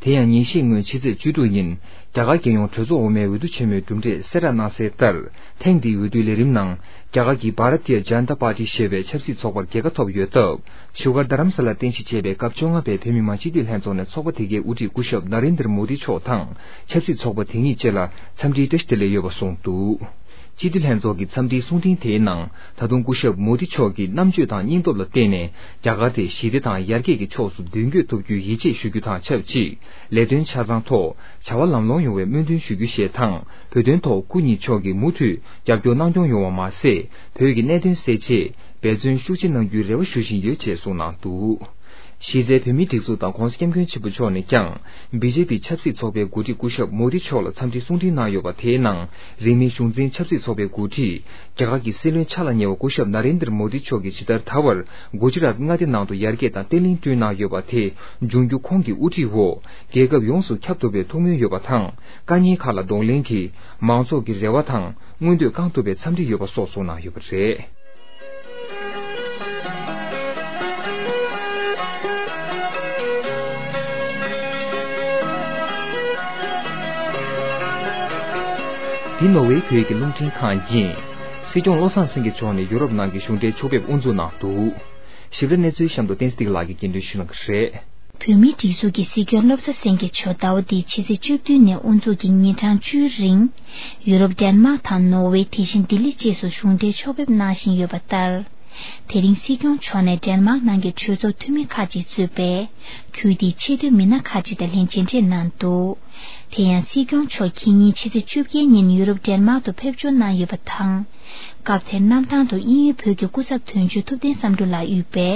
དེ་ཡང་ཉིན་ཤས་སྔོན་ཕྱི་ཚེས་བཅུ་དྲུག་ཉིན་རྒྱ་གར་རྒྱལ་ཡོངས་གྲོས་ཚོགས་འོག་མའི་འོས་བསྡུ་ཆེན་མོའི་གྲུབ་འབྲས་གསལ་བསྒྲགས་གནང་གསལ་ལྟར། ཐེངས་འདིའི་འོས་བསྡུའི་ལས་རིམ་ནང་རྒྱ་གར་གྱི་Bharatiya Janata Party ཞེས་པའི་ཆབ་སྲིད་ཚོགས་པར་རྒྱལ་ཁ་ཐོབ་ཡོད་སྟབས། བཞུགས་སྒར་རྡ་རམ་ས་ལར་རྟེན་གཞི་བྱས་པའི་སྐབས་བཅོ་ལྔ་པའི་བོད་མི་མང་སྤྱི་འཐུས་ལྷན་ཚོགས་ནས་ཚོགས་པ་དེ་གའི་དབུ་ཁྲིད་སྐུ་ཞབས་ན་རེན་དར་མོ་དི་མཆོག་དང་ཆབ་སྲིད་ཚོགས་པ་དེ་གཉིས་བཅས་ལ་འཚམས་འདྲིའི་བཀྲ་ཤིས་བདེ་ལེགས་ཡོད་པ་གསུངས་འདུག་སྤྱི་འཐུས་ལྷན་ཚོགས་ཀྱི་འཚམས་འདྲིའི་གསུང་འཕྲིན་དེའི་ནང་ད་དུང་སྐུ་ཞབས་མོ་དི་མཆོག་གི་རྣམ་དཔྱོད་དང་སྙིང་སྟོབས་ལ་བརྟེན་ནས་རྒྱ་གར་དེ་ཞི་བདེ་དང་ཡར་རྒྱས་ཀྱི་ཕྱོགས་སུ་མདུན་སྐྱོད་ཐུབ་རྒྱུའི་ཡིད་ཆེས་ཞུ་རྒྱུ་དང་ཆབས་ཅིག་ལས་དོན་ཆ་ཚང་ཐོག་བྱ་བ་ལམ་ལྷོང་ཡོང་བའི་སྨོན་འདུན་ཞུ་རྒྱུ་ཞེས་དང་བོད་དོན་ཐོག་སྐུ་ཉིད་མཆོག་གིས་མུ་མཐུད་རྒྱབ་སྐྱོར་གནང་སྐྱོང་ཡོང་བ་མ་ཟད་བོད་ཀྱི་གནད་དོན་སེལ་ཆེད་འབད་བརྩོན་ཤུགས་ཆེ་གནང་རྒྱུའི་རེ་བ་ཞུ་བཞིན་ཡོད་ཅེས་གསུངས་གནང་འདུག་གཞི་རྩའི་བོད་མིའི་སྒྲིག་འཛུགས་དང་༸གོང་ས་༸སྐྱབས་མགོན་ཆེན་པོ་མཆོག་ནས་ཀྱང་། བི་ཇེ་པི་ཆབ་སྲིད་ཚོགས་པའི་འགོ་ཁྲིད་སྐུ་ཞབས་མོ་དི་མཆོག་ལ་འཚམས་འདྲིའི་གསུང་འཕྲིན་གནང་ཡོད་པ་དེའི་ནང་། རིང་མིན་གཞུང་འཛིན་ཆབ་སྲིད་ཚོགས་པའི་འགོ་ཁྲིད། རྒྱ་གར་གྱི་སྲིད་བློན་ཆགས་ལ་ཉེ་བ་སྐུ་ཞབས་ན་རེན་དར་མོ་དི་མཆོག་གིས་ཇི་ལྟར་ད་བར་གུ་ཇི་རཱཏ་མངའ་སྡེ་ནང་དུ་ཡར་རྒྱས་དང་བརྟན་ལྷིང་བསྐྲུན་གནང་ཡོད་པ་དེ། འབྱུང་འགྱུར་ཁོང་གི་དབུ་ཁྲིད་འོག་རྒྱལ་ཁབ་ཡོངས་སུ་ཁྱབ་ཐུབ་པའི་ཐུགས་སྨོན་ཡོད་པ་དང་། དཀའ་ཉེན་ཁག་ལ་གདོང་ལེན་གྱིས་མང་ཚོགས་ཀྱི་རེ་བ་དང་མངོན་འདོད་བསྐང་ཐུབ་པའི་འཚམས་འདྲི་ཡོད་པ་སོགས་གསུངས་གནང་ཡོད་པ་རེད། འདི་ནོར་ཝེ་བོད་ཀྱི་རླུང་འཕྲིན་ཁང་ཡིན། སྲིད་སྐྱོང་བློ་བཟང་སེང་གེ་མཆོག་ནས་ཡུ་རོབ་ནང་གི་གཞུང་འབྲེལ་ཕྱོགས་ཕེབས་དབུ་འཛུགས་གནང་འདུག་ཞིབ་ཕྲ་གནས་ཚུལ་གཤམ་དུ་བསྟན་འཛིན་བདེ་ལེགས་ལགས་ཀྱིས་སྙན་སྒྲོན་ཞུ་གནང་གི་རེད། བོད་མིའི་སྒྲིག་འཛུགས་ཀྱི་སྲིད་སྐྱོང་བློ་བཟང་སེང་གེ་མཆོག་ཟླ་བ་འདིའི་ཕྱི་ཚེས་བཅུ་བདུན་ནས་དབུ་འཛུགས་ཀྱིས་ཉིན་གྲངས་བཅུའི་རིང་། ཡུ་རོབ་ཌེན་མཱག་དང་ནོར་ཝེ། དེ་བཞིན་ལྡི་ལི་བཅས་སུ་གཞུང་འབྲེལ་ཕྱོགས་ཕེབས་གནང་བཞིན་ཡོད་པ་ལྟར། དེ་རིང་སྲིད་སྐྱོང་མཆོག་ནས་ཌེན་མཱག་ནང་གི་གྲོས་ཚོགས་འཐུས་མི་ཁག་ཅིག་གཙོས་པའི་ཁུལ་དེའི་ཆེས་མཐོའི་མི་སྣ་ཁག་ཅིག་དང་ལྷན་མཇལ་འཕྲད་གནང་འདུག་དེ་ཡང་སྲིད་སྐྱོང་མཆོག་ཁེ་ཉིན་ཕྱི་ཚེས་བཅོ་བརྒྱད་ཉིན་ཡུ་རོབ་ཌེན་མཱག་ཏུ་ཕེབས་འབྱོར་གནང་ཡོད་པ་དང་། སྐབས་དེར་གནམ་ཐང་དུ་དབྱིན་ཡུལ་བོད་ཀྱི་སྐུ་ཚབ་དོན་གཅོད་ཐུབ་བསྟན་བསམ་གྲུབ་ལགས་དབུས་པའི་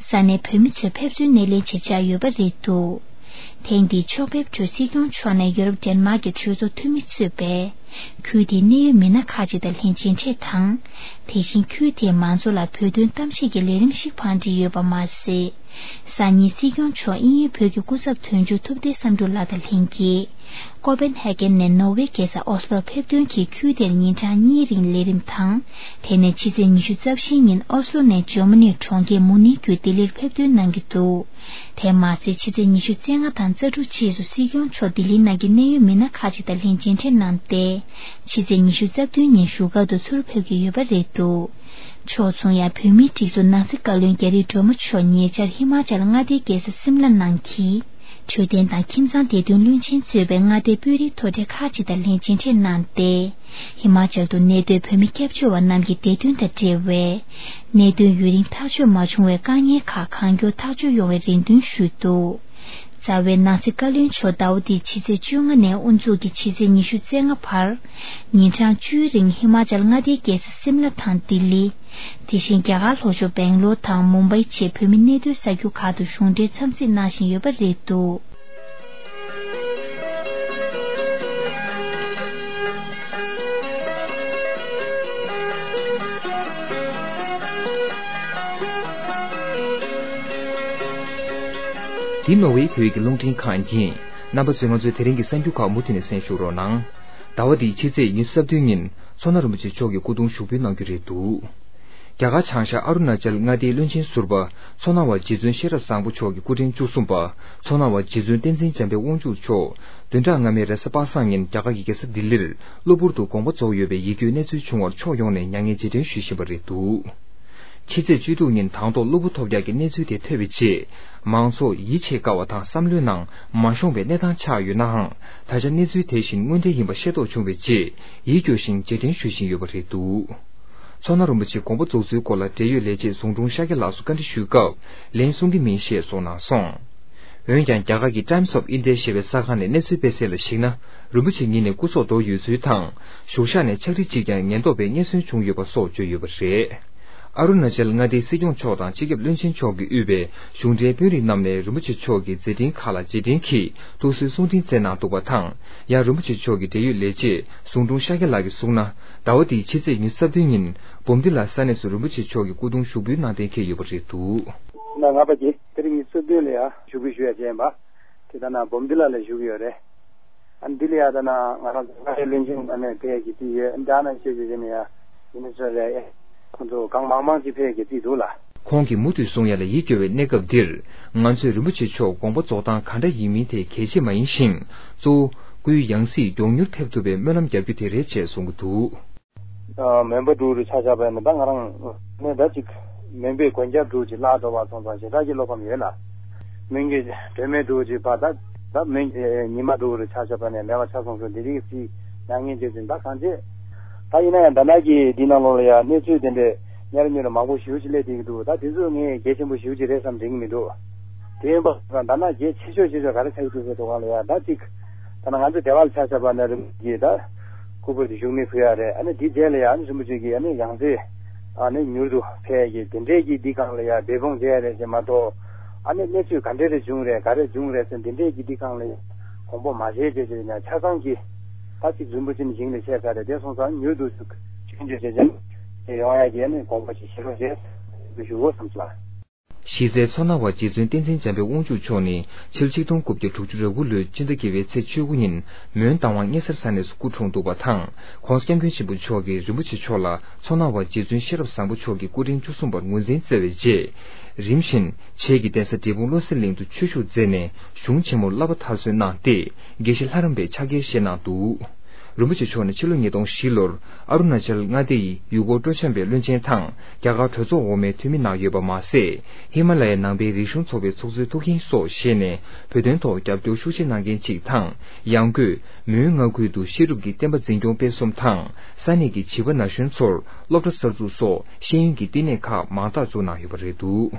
ས་གནས་བོད་མི་ཚོས་ཕེབས་བསུའི་སྣེ་ལེན་ཆེད་བཅར་ཡོད་པ་རེད་འདུག་ཐེངས་འདིའི་ཕྱོགས་ཕེབས་ཁྲོད་སྲིད་སྐྱོང་མཆོག་ནས་ཡུ་རོབ་ཌེན་མཱག་གི་གྲོས་ཚོགས་འཐུས་མི་གཙོས་པའི་ཁུལ་དེའི་གནད་ཡོད་མི་སྣ་ཁག་ཅིག་དང་ལྷན་མཇལ་འཕྲད་དང་། དེ་བཞིན་ཁུལ་དེའི་མང་ཚོགས་ལ་བོད་དོན་གཏམ་བཤད་ཀྱི་ལས་རིམ་ཞིག་བང་སྒྲིག་ཡོད་པ་མ་ཟད། སང་ཉིན་སྲིད་སྐྱོང་མཆོག་དབྱིན་ཡུལ་བོད་ཀྱི་སྐུ་ཚབ་དོན་གཅོད་ཐུབ་བསྟན་བསམ་གྲུབ་ལགས་དང་ལྷན་རྒྱས། ཀོ་པེན་ཧེ་གྷན་ནས་ནོར་ཝེ་རྒྱལ་ས་ཨོ་སློར་ཕེབས་ཐོན་གྱིས་ཁུལ་དེར་ཉིན་གྲངས་གཉིས་རིང་ལས་རིམ་དང་། དེ་ནས་ཕྱི་ཚེས་ཉི་ཤུ་རྩ་བཞི་ཉིན་ཨོ་སློ་ནས་འཇར་མ་ནིའི་གྲོང་ཁྱེར་མུ་ནིག་བརྒྱུད་ལྡི་ལིར་ཕེབས་ཐོན་གནང་གི་འདུག་དེ་མ་ཟད་ཕྱི་ཚེས་ཉི་ཤུ་རྩ་ལྔ་དང་རྩ་དྲུག་བཅས་སུ་སྲིད་སྐྱོང་མཆོག་ལྡི་ལི་ནང་གི་གནད་ཡོད་མི་སྣ་ཁག་ཅིག་དང་ལྷན་མཇལ་འཕྲད་གནང་སྟེ། ཕྱི་ཚེས་ཉི་ཤུ་རྩ་བདུན་ཉིན་བཞུགས་སྒར་དུ་ཚུར་ཕེབས་ཀྱི་ཡོད་པ་རེད་འདུག་ཕྱོགས་མཚུངས་ཡང་བོད་མིའི་སྒྲིག་འཛུགས་ནང་སྲིད་བཀའ་བློན་རྒྱ་རི་སྒྲོལ་མ་མཆོག་ཉེ་ཆར་ཧི་མ་ཅལ་མངའ་སྡེའི་རྒྱལ་ས་སིམ་ལ་ནང་གི་འཕྲོད་བསྟེན་དང་ཁྱིམ་ཚང་བདེ་དོན་བློན་ཆེན་གཙོས་པའི་མངའ་སྡེའི་དཔོན་རིགས་མཐོ་གྲས་ཁག་ཅིག་དང་ལྷན་མཇལ་འཕྲད་གནང་སྟེ། ཧི་མ་ཅལ་དུ་གནས་སྡོད་བོད་མི་སྐྱབས་བཅོལ་བ་རྣམས་ཀྱི་བདེ་དོན་དང་འབྲེལ་བའི་གནད་དོན་ཡུན་རིང་ཐག་གཅོད་མ་བྱུང་བའི་དཀའ་ངལ་ཁག་གང་མགྱོགས་ཐག་གཅོད་ཡོང་བའི་རེ་འདུན་ཞུས་འདུག་རྩ་བའི་ནང་སྲིད་བཀའ་བློན་མཆོག་ཟླ་བ་འདིའི་ཕྱི་ཚེས་བཅོ་ལྔ་ནས་དབུ་འཛུགས་ཀྱིས་ཕྱི་ཚེས་ཉི་ཤུ་རྩ་ལྔ་བར། ཉིན་གྲངས་བཅུའི་རིང་ཧི་མ་ཅལ་མངའ་སྡེའི་རྒྱལ་ས་སིམ་ལ་དང་ལྡི་ལི། དེ་བཞིན་རྒྱ་གར་ལྷོ་ཕྱོགས་སྦེང་ལོར་དང་མུམ་བྷའི་བཅས་བོད་མི་གནས་སྡོད་ས་ཁུལ་ཁག་ཏུ་གཞུང་འབྲེལ་འཚམས་གཟིགས་གནང་བཞིན་ཡོད་པ་རེད་འདུག་འདི་ནོར་ཝེ་བོད་ཀྱི་རླུང་འཕྲིན་ཁང་ཡིན། རྣམ་པ་ཚོས་ང་ཚོའི་དེ་རིང་གི་གསར་འགྱུར་ཁག་མུ་མཐུད་ནས་གསན་ཞུ་རོགས་གནང་། ཟླ་བ་འདིའི་ཕྱི་ཚེས་ཉི་ཤུ་རྩ་བདུན་ཉིན་མཚོ་སྣ་རིན་པོ་ཆེ་མཆོག་གི་སྐུ་གདུང་ཞུགས་འབུལ་གནང་རྒྱུ་རེད་འདུག་རྒྱ་གར་བྱང་ཤར་ཨ་རུ་ན་ཅལ་མངའ་སྡེའི་བློན་ཆེན་ཟུར་པ་མཚོ་སྣ་བ་རྗེ་བཙུན་ཤེས་རབ་བཟང་པོ་མཆོག་གི་སྐུ་ཕྲེང་བཅུ་གསུམ་པ་མཚོ་སྣ་བ་རྗེ་བཙུན་བསྟན་འཛིན་འཇམ་དཔལ་དབང་ཕྱུག་མཆོག་བདུན་ཕྲག་སྔ་མའི་རེས་གཟའ་པ་སངས་ཉིན་རྒྱ་གར་གྱི་རྒྱལ་ས་ལྡི་ལིར་གློ་བུར་དུ་དགོངས་པ་རྫོགས་ཡོད་པའི་ཡིད་སྐྱོའི་གནས་ཚུལ་བྱུང་བར་ཕྱོགས་ཡོངས་ནས་མྱ་ངན་རྗེས་དྲན་ཞུ་བཞིན་པ་རེད་འདུག་ཕྱི་ཚེས་བཅུ་དྲུག་ཉིན་དང་ཐོག་གློ་བུར་ཐོལ་རྒྱག་གི་གནས་ཚུལ་དེ་ཐོས་པའི་རྗེས། མང་ཚོགས་ཡིད་ཆེས་དཀའ་བ་དང་བསམ་བློའི་ནང་མ་ཤོང་བའི་གནས་སྟངས་ཆགས་ཡོད་ནའང་། ད་ཆ་གནས་ཚུལ་དེ་བཞིན་དངོས་འབྲེལ་ཡིན་པ་ཤེས་རྟོགས་བྱུང་བའི་རྗེས། ཡིད་སྐྱོ་ཞིང་རྗེས་དྲན་ཞུ་བཞིན་ཡོད་པ་རེད་འདུག་མཚོ་སྣ་རིན་པོ་ཆེ་དགོངས་པ་རྫོགས་ཚུལ་སྐོར་ལ་འབྲེལ་ཡོད་ལས་བྱེད་ཟུང་དྲུང་ཤཱཀྱ་ལགས་སུ་བཀའ་འདྲི་ཞུས་སྐབས། ལན་གསུང་གི་མིན་ཞེས་གསུངས་གནང་སོང་། འོན་ཀྱང་། རྒྱ་གར་གྱི་Times of India ཞེས་པའི་གསར་ཁང་ནས་གནས་ཚུལ་སྤེལ་གསལ་ལ་གཞིགས་ན། རིན་པོ་ཆེ་ཉིད་ནས་སྐུ་སྲོག་དོར་ཡོད་ཚུལ་དང་། བཞུགས་ཤག་ནས་ཕྱག་བྲིས་གཅིག་ཀྱང་ཉེན་རྟོག་པས་རྙེད་སོན་བྱུང་ཡོད་པ་སོགས་བརྗོད་ཡོད་པ་རེད། ཨ་རུ་ན་ཅལ་མངའ་སྡེའི་སྲིད་སྐྱོང་མཆོག་དང་སྤྱི་ཁྱབ་བློན་ཆེན་མཆོག་གིས་དབུས་པའི་གཞུང་འབྲེལ་དཔོན་རིགས་རྣམས་ནས་རིན་པོ་ཆེ་མཆོག་གི་མཛད་འཕྲིན་ཁག་ལ་རྗེས་དྲན་གྱིས་ཐུགས་གསོའི་གསུང་འཕྲིན་བསྩལ་གནང་འདུག་པ་དང་། ཡང་རིན་པོ་ཆེ་མཆོག་གི་འབྲེལ་ཡོད་ལས་བྱེད་ཟུང་དྲུང་ཤཱཀྱ་ལགས་ཀྱིས་གསུངས་ན། ཟླ་བ་འདིའི་ཕྱི་ཚེས་ཉི་ཤུ་རྩ་བདུན་ཉིན་འབུམ་སྡེ་ལ་ས་གནས་སུ་རིན་པོ་ཆེ་མཆོག་གི་སྐུ་གདུང་ཞུགས་འབུལ་གནང་གཏན་འཁེལ་ཡོད་པ་རེད་འདུག་ན་ང་པ་གྱིས་ཚེས་ཉི་ཤུ་རྩ་བདུན་ལ་ཡང་ཞུགས་འབུལ་ཞུ་ཡ་བྱས་ཡིན་པ། དེ་ལྟ་ན་འབུམ་སྡེ་ལ་ལ་བཞུགས་ཡོད་རེད། ཨ་ནི་འདི་ལ་ཡ་ད་ན་ང་རང་ཚོ་ང་རའི་བློན་ཆེན་ཨ་ནི་ཕེབས་ཀྱི་དུས་ཡོད། འདྲ་ན་ཤེས་ཀྱི་ཡིན་ཡ། ཡིན་ནི་ཚོ་རེད། ཁོང་ཚོ་གང་མང་མང་ཅིག་ཕེབས་ཀྱི་དུས་འདུག་ལ། ཁོང་གིས་མུ་མཐུད་གསུང་ཡ་ལ་ཡིད་སྐྱོ་བའི་གནས་སྐབས་འདིར། ང་ཚོས་རིན་པོ་ཆེ་མཆོག་དགོངས་པ་རྫོགས་སྟངས་ག་འདྲ་ཡིན་མིན་དེ་གལ་ཆེ་མ་ཡིན་ཞིང་། གཙོ་བོ་སྐུའི་ཡང་སྲིད་མགྱོགས་མྱུར་ཕེབས་ཐུབ་པའི་སྨོན་ལམ་རྒྱབ་རྒྱུ་དེ་རེད་ཅེས་གསུང་གི་འདུག་ཨ། མོན་པ་འབྲུག་རུ་ཆ་བཞག་པ་ཡིན་ན་ད་ང་རང་ནས་ད་ཅིག་མོན་པའི་དགོན་རྒྱབ་འབྲུག་ཅིག་བརླག་འགྲོ་བ་སོང་ཙང་ཞེ་དྲག་གི་བློ་ཕམ་ཡོད་ལ། མོན་གྱི་སྒྲོལ་མའི་འབྲུག་ཅིག་ཕར་ད་ད་མོན་གྱི་ཉི་མ་འབྲུག་རུ་ཆ་བཞག་པ་ནས་མེད་པ་ཆ་སོང་ཚུལ་འདི་རིགས་སྲིད་མྱ་ངན་བྱེད་ཚུལ་ད་གང་བྱེད། ད་ཡིན་ན་ཡང་ད་ནང་གི་འདི་ནང་ལོགས་ལ་ཡང་གནས་ཚུལ་དེ་འདྲས་གཉེར་མྱུར་མང་པོ་ཞེ་པོ་ཅིག་སླེབས་བསྡད་ཀྱི་འདུག་ད་དེ་ཚོ་ངས་གལ་ཆེན་པོ་ཞེ་པོ་ཅིག་རེད་བསམ་དྲན་གྱི་མི་འདུག་དེ་ཡིན་པ་ད་ན་རྒྱལ་ཆེ་ཤོས་ཆེ་ཤོས་ག་རེ་ཆགས་ཀྱི་འདུག་ཟེར་དུས་སྒང་ལ་ཡ་ད་ཅིག་ད་ན་ང་ཚོ་སྡེ་བ་ལ་ཆ་བཞག་པ་ན་རིན་པོ་ཆེ་ད་སྐུ་པར་དེ་བཞུགས་མི་ཕུལ་ཡ་རེད། ཨ་ནི་དེའི་རྗེས་ལ་ཡ་ཨ་ནི་རིན་པོ་ཆེ་གི་ཨ་ནི་ཡང་རྩེ་ཨ་ནི་མྱུར་དུ་ཕེབས་ཀྱི་དེ་འདྲས་ཀྱི་འདི་སྒང་ལ་ཡ་འབད་འབུངས་བྱས་ཡ་རེད་ཅེས་མ་གཏོགས། ཨ་ནི་གནས་ཚུལ་ག་འདྲས་རེ་བྱུང་རེད་ག་རེ་བྱུང་རེད་ཟེར་འདི་འདྲས་ཀྱི་འདི་སྒང་ལ་ཡ་དགོངས་པ་མ་བཞེས་བྱས་བྱས་ན་ཆ་ཚང་གི་ད་ཅིག་རིན་པོ་ཆེ་ནི་ཞིང་ལ་ཆས་ས་རེད། དེ་སོང་ཙང་མྱུར་དུ་ཞུགས་ཞུགས་འཇུག་བྱས་བྱས་ཡོང་ཡ་གི་ཨ་ནི་དགོངས་པ་ཅིག་བཞེས་རོགས་བྱས་ཞུ་དགོས་བསམ་སོང་། གཞི་རྩའི་མཚོ་སྣ་བ་རྗེ་བཙུན་བསྟན་འཛིན་འཇམ་དཔལ་དབང་ཕྱུག་མཆོག་ནི་ཕྱི་ལོ་ཆིག་སྟོང་དགུ་བརྒྱ་དྲུག་ཅུ་རེ་དགུ་ལོའི་སྤྱི་ཟླ་བརྒྱད་པའི་ཚེས་བཅུ་དགུ་ཉིན་མོན་རྟ་དབང་དམྱལ་སར་ས་གནས་སུ་སྐུ་འཁྲུངས་འདུག་པ་དང་། ྋགོང་ས་ྋསྐྱབས་མགོན་ཆེན་པོ་མཆོག་གིས་རིན་པོ་ཆེ་མཆོག་ལ་མཚོ་སྣ་བ་རྗེ་བཙུན་ཤེས་རབ་བཟང་པོ་མཆོག་གི་སྐུ་ཕྲེང་བཅུ་གསུམ་པར་ངོས་འཛིན་བསྩལ་བའི་རྗེས། རིམ་བཞིན་བྱེས་ཀྱི་གདན་ས་འབྲས་སྤུངས་བློ་གསལ་གླིང་དུ་ཆོས་ཞུགས་མཛད་ནས་གཞུང་ཆེན་མོར་བསླབ་པ་མཐར་སོན་གནང་སྟེ། དགེ་བཤེས་ལྷ་རམས་པའི་ཕྱག་འཁྱེར་བཞེས་གནང་འདུག་རིན་པོ་ཆེ་མཆོག་ནི་ཕྱི་ལོ་ཉིས་སྟོང་བཞི་ལོར་ཨ་རུ་ན་ཅལ་མངའ་སྡེ་ཡི་ཡུལ་སྐོར་སྤྲོ་འཆམ་པའི་བློན་ཆེན་དང་རྒྱ་གར་གྲོས་ཚོགས་འོག་མའི་འཐུས་མི་གནང་ཡོད་པ་མ་ཟད། ཧི་མ་ལ་ཡའི་ནང་པའི་རིག་གཞུང་ཚོགས་པའི་ཚོགས་གཙོའི་ཐུགས་འགན་སོགས་བཞེས་ནས་བོད་དོན་ཐོག་རྒྱབ་སྐྱོར་ཤུགས་ཆེ་གནང་མཁན་གཅིག་དང་། ཡང་སྒོས་མོན་མངའ་ཁུལ་དུ་བཤད་སྒྲུབ་ཀྱི་བསྟན་པ་འཛིན་སྐྱོང་སྤེལ་གསུམ་དང་། ས་གནས་ཀྱི་བྱིས་པ་ན་གཞོན་ཚོར་སློབ་གྲྭ་གསར་འཛུགས་སོགས་ཤེས་ཡོན་གྱི་བསྟི་གནས་ཁག་མང་དག་བཙུགས་གནང་ཡོད་པ་རེད་འདུག་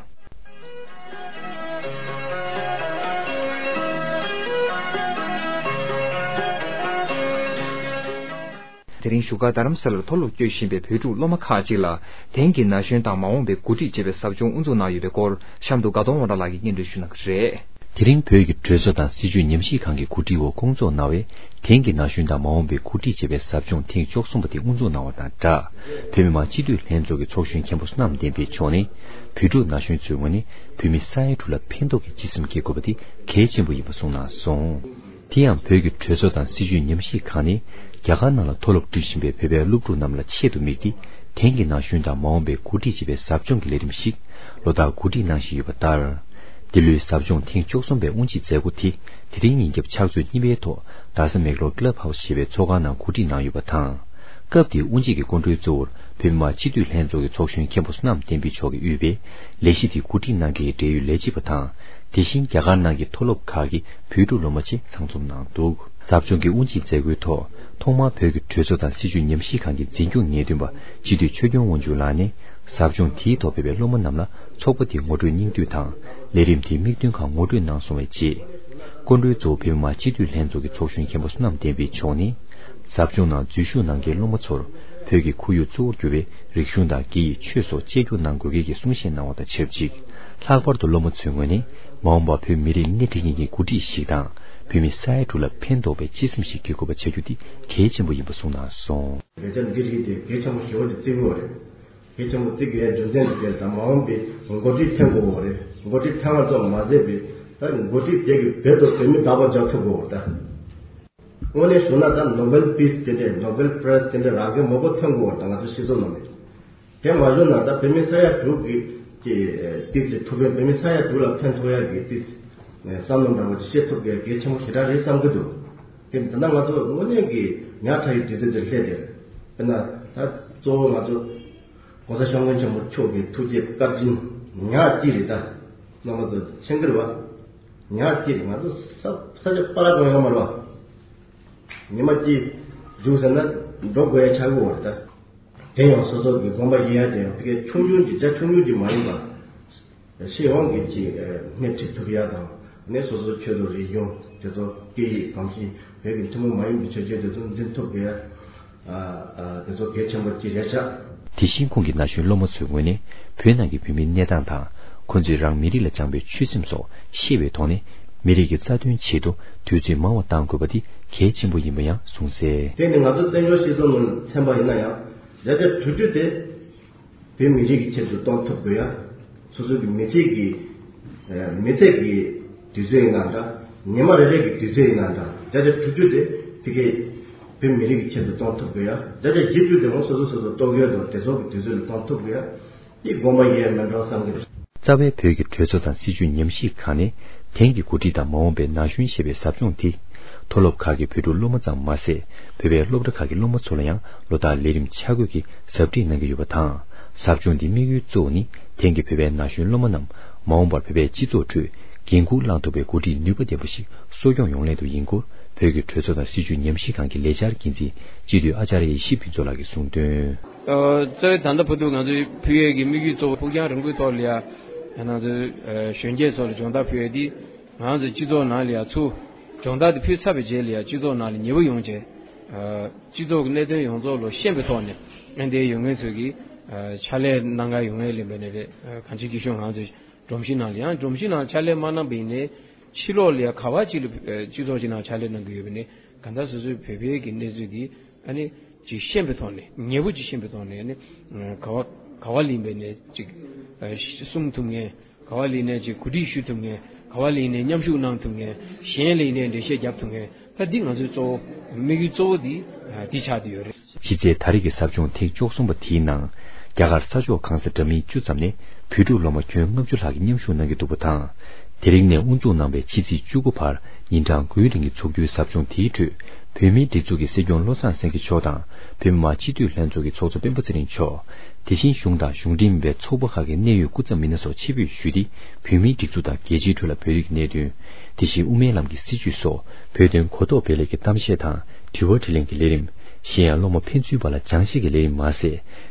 དེ་རིང་བཞུགས་སྒར་རྡ་རམ་ས་ལར་མཐོ་སློབ་སྐྱོད་བཞིན་པའི་བོད་ཕྲུག་སློབ་མ་ཁག་ཅིག་ལ་དེང་གི་ན་གཞོན་དང་མ་འོངས་པའི་འགོ་ཁྲིད་ཅེས་པའི་ཟབ་སྦྱོང་དབུ་འཛུགས་གནང་ཡོད་པའི་སྐོར་གཤམ་དུ་དགའ་གདོང་དབང་གྲགས་ལགས་ཀྱིས་སྙན་སྒྲོན་ཞུ་གནང་གི་རེད། དེ་རིང་བོད་ཀྱི་གྲོས་ཚོགས་དང་སྲིད་བྱུས་ཉམས་ཞིབ་ཁང་གི་གོ་སྒྲིག་འོག་བསྐོང་ཚོགས་གནང་བའི་དེང་གི་ན་གཞོན་དང་མ་འོངས་པའི་འགོ་ཁྲིད་ཅེས་པའི་ཟབ་སྦྱོང་ཐེངས་བཅུ་གསུམ་པ་དེ་དབུ་འཛུགས་གནང་བ་དང་སྦྲགས། བོད་མི་མང་སྤྱི་འཐུས་ལྷན་ཚོགས་ཀྱི་ཚོགས་གཞོན་མཁན་པོ་བསོད་ནམས་བསྟན་འཕེལ་མཆོག་ནས། བོད་ཕྲུག་ན་གཞོན་ཚོའི་ངོས་ནས་བོད་མི་ས་ཡ་དྲུག་ལ་ཕན་ཐོགས་ཀྱི་སྤྱི་སེམས་སྐྱེ་དགོས་པ་དེ་གལ་ཆེན་པོ་ཡིན་པ་གསུངས་གནང་སོང་། དེ་ཡང་བོད་ཀྱི་གྲོས་ཚོགས་དང་སྲིད་བྱུས་ཉམས་ཞིབ་ཁང་ནས་རྒྱ་གར་ནང་ལ་མཐོ་སློབ་འགྲིམ་བཞིན་པའི་བོད་པའི་སློབ་ཕྲུག་རྣམས་ལ་ཆེད་དུ་དམིགས་ཏེ། དེང་གི་ན་གཞོན་དང་མ་འོངས་པའི་འགོ་ཁྲིད་ཅེས་པའི་ཟབ་སྦྱོང་གི་ལས་རིམ་ཞིག་ལོ་ལྟར་གོ་སྒྲིག་གནང་བཞིན་ཡོད་པ་ལྟར། འདི་ལོའི་ཟབ་སྦྱོང་ཐེངས་བཅུ་གསུམ་པའི་དབུ་འབྱེད་མཛད་སྒོ་དེ་དེ་རིང་ཉིན་རྒྱབ་ཕྱག་ཚོད་གཉིས་པའི་ཐོག་རྡ་ས་མེག་ལོར་ཀི་ལབ་ཧའུ་སི་ཞེས་པའི་ཚོགས་ཁང་ནང་གོ་སྒྲིག་གནང་ཡོད་པ་དང་། སྐབས་དེའི་དབུ་འབྱེད་ཀྱི་སྐུ་མགྲོན་གཙོ་བོར་བོད་མི་མང་སྤྱི་འཐུས་ལྷན་ཚོགས་ཀྱི་ཚོགས་གཞོན་མཁན་པོ་བསོད་ནམས་བསྟན་འཕེལ་མཆོག་གིས་དབུས་པའི་ལས་གཞི་དེ་གོ་སྒྲིག་གནང་མཁན་གྱི་འབྲེལ་ཡོད་ལས་བྱེད་པ་དང་། དེ་བཞིན་རྒྱ་གར་ནང་གི་མཐོ་སློབ་ཁག་གི་བོད་ཕྲུག་སློབ་མ་བཅས་ཚང་འཛོམས་གནང་འདུག་ཟབ་སྦྱོང་གི་དབུ་འབྱེད་མཛད་སྒོའི་ཐོག་ཐོག་མར་བོད་ཀྱི་གྲོས་ཚོགས་དང་སྲིད་བྱུས་ཉམས་ཞིབ་ཁང་གི་འཛིན་སྐྱོང་ངེས་སྟོན་པ་སྤྱི་འཐུས་ཆོས་སྐྱོང་དབང་ཕྱུག་ལགས་ནས། ཟབ་སྦྱོང་དེའི་ཐོག་ཕེབས་པའི་སློབ་མ་རྣམས་ལ་ཚོགས་པ་དེའི་ངོ་སྤྲོད་སྙིང་བསྡུས་དང་། ལས་རིམ་དེའི་དམིགས་འདུན་ཁག་ངོ་སྤྲོད་གནང་སོང་བའི་རྗེས། སྐུ་མགྲོན་གཙོ་བོ་བོད་མི་མང་སྤྱི་འཐུས་ལྷན་ཚོགས་ཀྱི་ཚོགས་གཞོན་མཁན་པོ་བསོད་ནམས་བསྟན་འཕེལ་མཆོག་ནས། ཟབ་སྦྱོང་ནང་འཛུལ་ཞུགས་གནང་མཁན་སློབ་མ་ཚོར་བོད་ཀྱི་ཁོར་ཡུག་གཙོ་བོར་གྱུར་པའི་རིག་གཞུང་དང་སྐད་ཡིག་ཆོས་སོགས་གཅེས་འཛུགས་གནང་དགོས་གལ་གྱི་གསུང་བཤད་གནང་བ་དང་ཆབས་ཅིག་ལྷག་པར་དུ་སློབ་མ་ཚོའི་ངོས་ནས་མ་འོངས་པར་བོད་མི་རིགས་སྣེ་ཁྲིད་མཁན་གྱི་འགོ་ཁྲིད་ཞིག་དང་། བོད་མི་ས་ཡ་དྲུག་ལ་ཕན་འདོགས་པའི་སྤྱི་སེམས་ཤིག་སྐྱེ་དགོས་པ་བྱ་རྒྱུ་དེ་གལ་ཆེན་པོ་ཡིན་པ་གསུངས་གནང་སོང་། ལས་འཆར་འདི་རིགས་དེ་གལ་ཆེན་པོ་ཞེ་པོ་ཅིག་བརྩི་དགོས་པ་རེད། གལ་ཆེན་པོ་བརྩི་དགོས་ཡ་རྒྱུ་མཚན་དེ་དེར་དང་མ་འོངས་པའི་འགོ་ཁྲིད་ཐོན་དགོས་པ་རེད། འགོ་ཁྲིད་ཐོན་པ་ཙམ་མ་ཟད་པའི་ ད་འགོ་ཁྲིད་དེ་གི་བོད་དུ་བོད་མི་དག་པ་རྒྱག་ཐུབ་དགོས་པ་ད། དངོས་གནས་ཞུ་ན་ད་ནོ་བེལ་པིས་དེ་འདྲས་ནོ་བེལ་པི་རེ་ཛི་དེ་འདྲས་རང་གི་མང་པོ་ཐོན་དགོས་པ་ད་ང་ཚོ་སྤྱི་ཚོགས་ནང་ནས། དེ་མ་བྱུང་ན་ད་བོད་མི་ས་ཡ་དྲུག་གི་ཀྱི་ཏིག་ཙི་ཐུགས་ཕན་བོད་མི་ས་ཡ་དྲུག་ལ་ཕན་ཐོགས་ཡ་གི་ཏིག་ཙི་བསམ་བློ་འདྲ་བོ་ཅིག་བཤད་ཐུབ་གི་གལ་ཆེན་པོ་ཞེ་དྲག་རེད་བསམ་གི་འདུག་དེ་ད་ལྟ་ང་ཚོ་དངོས་གནས་ཀྱི་ཉག་ཕྲ་ཡི་དུས་ཚོད་དེར་སླེབས་དེར། དཔེར་ན་ད་གཙོ་བོ་ང་ཚོ་༸གོང་ས་༸སྐྱབས་མགོན་ཆེན་པོ་མཆོག་གི་ཐུགས་རྗེ་བཀའ་དྲིན་ཉག་གཅིག་རེད་ད། རྣམ་པ་ཚོ་མཁྱེན་གི་རེད་བ། ཉག་གཅིག་རེད། ང་ཚོ་ས་ས་ཆ་པ་ར་གང་ཡོད་མ་རེད་བ། ཉི་མ་གཅིག་རྒྱུགས་ཟེར་ན་འགྲོ་དགོས་ཡ་ཆགས་ཀྱི་ཡོད་རེད་ད། དེ་ཡང་སོ་སོ་གི་དགོངས་པ་ཡིན་ཡ་དེ་ཡང་ཕ་གི་ཆུང་ཆུང་གི་རྒྱ་ཆུང་ཆུང་གི་མ་ཡིན་པ། སྤྱི་ཡོངས་ཀྱི་ཅིག་སྣེ་ཁྲིད་ཐུབ་ཡ་དང་ནས་སོ་སོ་ཆོས་དང་རིག་གཞུང་དེ་ཚོ་སྐད་ཡིག་གང་ཅི་བོད་ཀྱི་ཐུན་མོང་མ་ཡིན་པའི་ཆོས་བརྒྱུད་དེ་ཚོ་འཛིན་ཐུབ་དགོས་ཡ། དེ་ཚོ་གལ་ཆེན་པོ་ཅིག་རེད་ཤག་དེ་བཞིན་ཁོང་གིས་ན་གཞོན་སློབ་མ་ཚོའི་ངོས་ནས་བོད་ནང་གི་བོད་མིའི་གནས་སྟངས་དང་ཁོང་ཚོས་རང་མི་རིགས་ལ་བཅངས་པའི་ཆོད་སེམས་སོགས་ཤེས་པའི་ཐོག་ནས་མི་རིགས་ཀྱི་རྩ་དོན་ཆེད་དུ་དུས་ཚོད་མང་བ་བཏང་དགོས་པ་དེ་གལ་ཆེན་པོ་ཡིན་པ་ཡང་གསུངས་གསལ། དེ་ནི་ང་ཚོ་བཙན་བྱོལ་སྤྱི་ཚོགས་ནང་ཚན་པ་ཡིན་ན་ཡང་བརྒྱ་ཆ་དྲུག་ཅུ་དེ་བོད་མི་རིགས་ཀྱི་ཆེད་དུ་གཏོང་ཐུབ་དགོས་ཡ། སོ་སོ་གི་མི་ཚེ་གི་མི་ཚེ་གི་དུས་ཚོད་ཡིན་ན་འདྲ། ཉི་མ་རེ་རེ་གི་དུས་ཚོད་ཡིན་ན་འདྲ། བརྒྱ་ཆ་དྲུག་ཅུ་དེ་ཕ་གི་བོད་མི་རིགས་ཀྱི་ཆེད་དུ་གཏོང་ཐུབ་དགོས་ཡ། བརྒྱ་ཆ་བཞི་བཅུ་དེ་ཧོ་སོ་སོ་སོ་སོ་ལྟོ་གོས་དང་དེ་ཚོ་གི་དུས་ཚོད་ལ་གཏོང་ཐུབ་དགོས་ཡ། དེ་དགོངས་པ་ཡེ་མེད་འགྲོ་བསམ་གི་རེད། རྩ་བའི་བོད་ཀྱི་གྲོས་ཚོགས་དང་སྲིད་བྱུས་ཉམས་ཞིབ་ཁང་ནས་དེང་གི་འགོ་ཁྲིད་དང་མ་འོངས་པའི་ན་གཞོན་ཞེས་པའི་ཟབ་སྦྱོང་དེ། མཐོ་སློབ་ཁག་གི་བོད་ཕྲུག་སློབ་མ་ཙམ་མ་ཟད། བོད་པའི་སློབ་གྲྭ་ཁག་གི་སློབ་མ་ཚོ་ལ་ཡང་ལོ་ལྟར་ལས་རིམ་ཆ་བགོས་ཀྱིས་ཟབ་ཁྲིད་གནང་གི་ཡོད་པ་དང་། ཟབ་སྦྱོང་འདིའི་དམིགས་ཡུལ་གཙོ་བོ་ནི་དེང་གི་བོད་པའི་ན་གཞོན་སློབ་མ་རྣམས་མ་འོངས་པར་བོད་པའི་སྤྱི་ཚོགས་ཁྲོད་འགན་འཁུར་བླང་ཐུབ་པའི་འགོ་ཁྲིད་ནུས་པ་ལྡན་པ་ཞིག་གསོ་སྐྱོང་ཡོང་སླད་དུ་ཡིན་སྐོར་བོད་ཀྱི་གྲོས་ཚོགས་དང་སྲིད་བྱུས་ཉམས་ཞིབ་ཁང་གི་ལས་འཆར་འགན་འཛིན་སྤྱི་འཐུས་ཨ་ཅར་ཡེ་ཤེས་ཕུན་ཚོགས་ལགས་ཀྱིས་གསུངས་དོན། ཨ། རྩ་བའི་ད་ལྟ་བར་དུ་ང་ཚོས་ཕུལ་ཡས་ཀྱི་དམིགས་ཡུལ་གཙོ་བོ་ཕུགས་རྒྱང་རིང་པོའི་ཐོག་ལ་ཡ། ང་ཚོས་ཨ་གཞོན་སྐྱེས་ཚོ་ལ་སྦྱོང་བརྡར་ཕུལ་ཡས་འདི་ང་ཚོའི་སྤྱི་ཚོགས་ནང་ལ་ཡ་ཚུར་སྦྱོང་བརྡར་དེ་ཕུལ་ཚར་བའི་རྗེས་ལ་ཡ་སྤྱི་ཚོགས་ནང་ལ་ཉེ་བོ་ཡོང་བྱས། ཨ་སྤྱི་ཚོགས་ཀྱི་གནད་དོན་ཡོངས་རྫོགས་ལ་ཤེས་པའི་ཐོག་ནས་ཨ་འདིའི་ཡོད་མཁན་ཚོས་ཀྱི་ཨ་ཕྱག་ལས་གནང་ག་ཡོང་ངེས་ལེན་པ་ནས་རེད། ཨ་གང་ཅི་སྐྱིད་ཤོད་ང་ཚོས་སྒྲོམ་གཞི་ནང་ལ་ཡང་སྒྲོམ་གཞི་ནང་ཕྱག་ལས་མ་གནང་པ་ཡིན་ནའི་ཕྱི་ལོགས་ལ་ཡ་ག་བ་ཅིག་ལ་ཨ་སྤྱི་ཚོགས་ཅིག་ནང་ཕྱག་ལས་གནང་གི་ཡོད་པ་ནས་གང་ལྟར་སོ་སོའི་བོད་པའི་གི་གནས་ཚུལ་འདི། ཨ་ནི་ཅིག་ཤེས་པའི་ཐོག་ནས་ཉེ་བོ་ཅིག་ཤེས་པའི་ཐོག་ནས་ཨ་ནི་ག་བ་ག་བ་ལིན་པའི་ནས་ཅིག་གསུང་ཐུབ་མཁན། ག་བ་ལིན་ནས་ཅིག་གོ་སྒྲིག་ཞུ་ཐུབ་མཁན། ག་བ་ལིན་ནས་མཉམ་ཞུགས་གནང་ཐུབ་མཁན། གཞན་ལིན་ནས་འགྲེལ་བཤད་རྒྱབ་ཐུབ་མཁན། ད་འདི་ང་ཚོའི་གཙོ་བོ་དམིགས་ཡུལ་གཙོ་བོ་འདི་འདི་ཆགས་བསྡད་ཡོད་རེད། ཕྱི་ཚེས་ད་རེས་ཀྱི་ཟབ་སྦྱོང་ཐེངས་བཅུ་གསུམ་པ་དེའི་ནང་རྒྱ་གར་ས་ཕྱོགས་གང་ས་འདྲ་མིན་བཅུ་ཙམ་ནས་བོད་ཕྲུག་སློབ་མ་ཁྱོན་ལྔ་བཅུ་ལྷག་གིས་མཉམ་ཞུགས་གནང་གི་འདུག་པ་དང་། དེ་རིང་ནས་དབུ་འཛུགས་གནང་བའི་ཕྱི་ཚེས་བཅུ་དགུ་བར་ཉིན་གྲངས་དགུའི་རིང་གི་འཚོགས་རྒྱུའི་ཟབ་སྦྱོང་དེའི་ཁྲོད་བོད་མིའི་སྒྲིག་འཛུགས་ཀྱི་སྲིད་སྐྱོང་བློ་བཟང་སེང་གེ་མཆོག་དང་བོད་མི་མང་སྤྱི་འཐུས་ལྷན་ཚོགས་ཀྱི་ཚོགས་གཙོ་སྤེན་པ་ཚེ་རིང་མཆོག་དེ་བཞིན་གཞུང་དང་གཞུང་འབྲེལ་མིན་པའི་ཚོགས་པ་ཁག་གི་གནད་ཡོད་སྐུ་ཚབ་མི་སྣ་སོགས་ཆེད་ཕེབས་ཞུས་ཏེ་བོད་མིའི་སྒྲིག་འཛུགས་དང་རྒྱལ་སྤྱིའི་ཁྲོད་ལ་བོད་རིགས་ཀྱི་གནད་དོན། དེ་བཞིན་དབུ་མའི་ལམ་གྱི་སྲིད་བྱུས་སོགས་བོད་དོན་གོ་རྟོགས་སྤེལ་སླད་ཀྱི་གཏམ་བཤད་དང་དྲི་བ་དྲིས་ལན་གྱི་ལས་རིམ། གཞན་ཡང་སློབ་མ་ཕན་ཚུན་བར་ལ་སྦྱང་བཤད་ཀྱི་ལས་རིམ་མ་ཟད།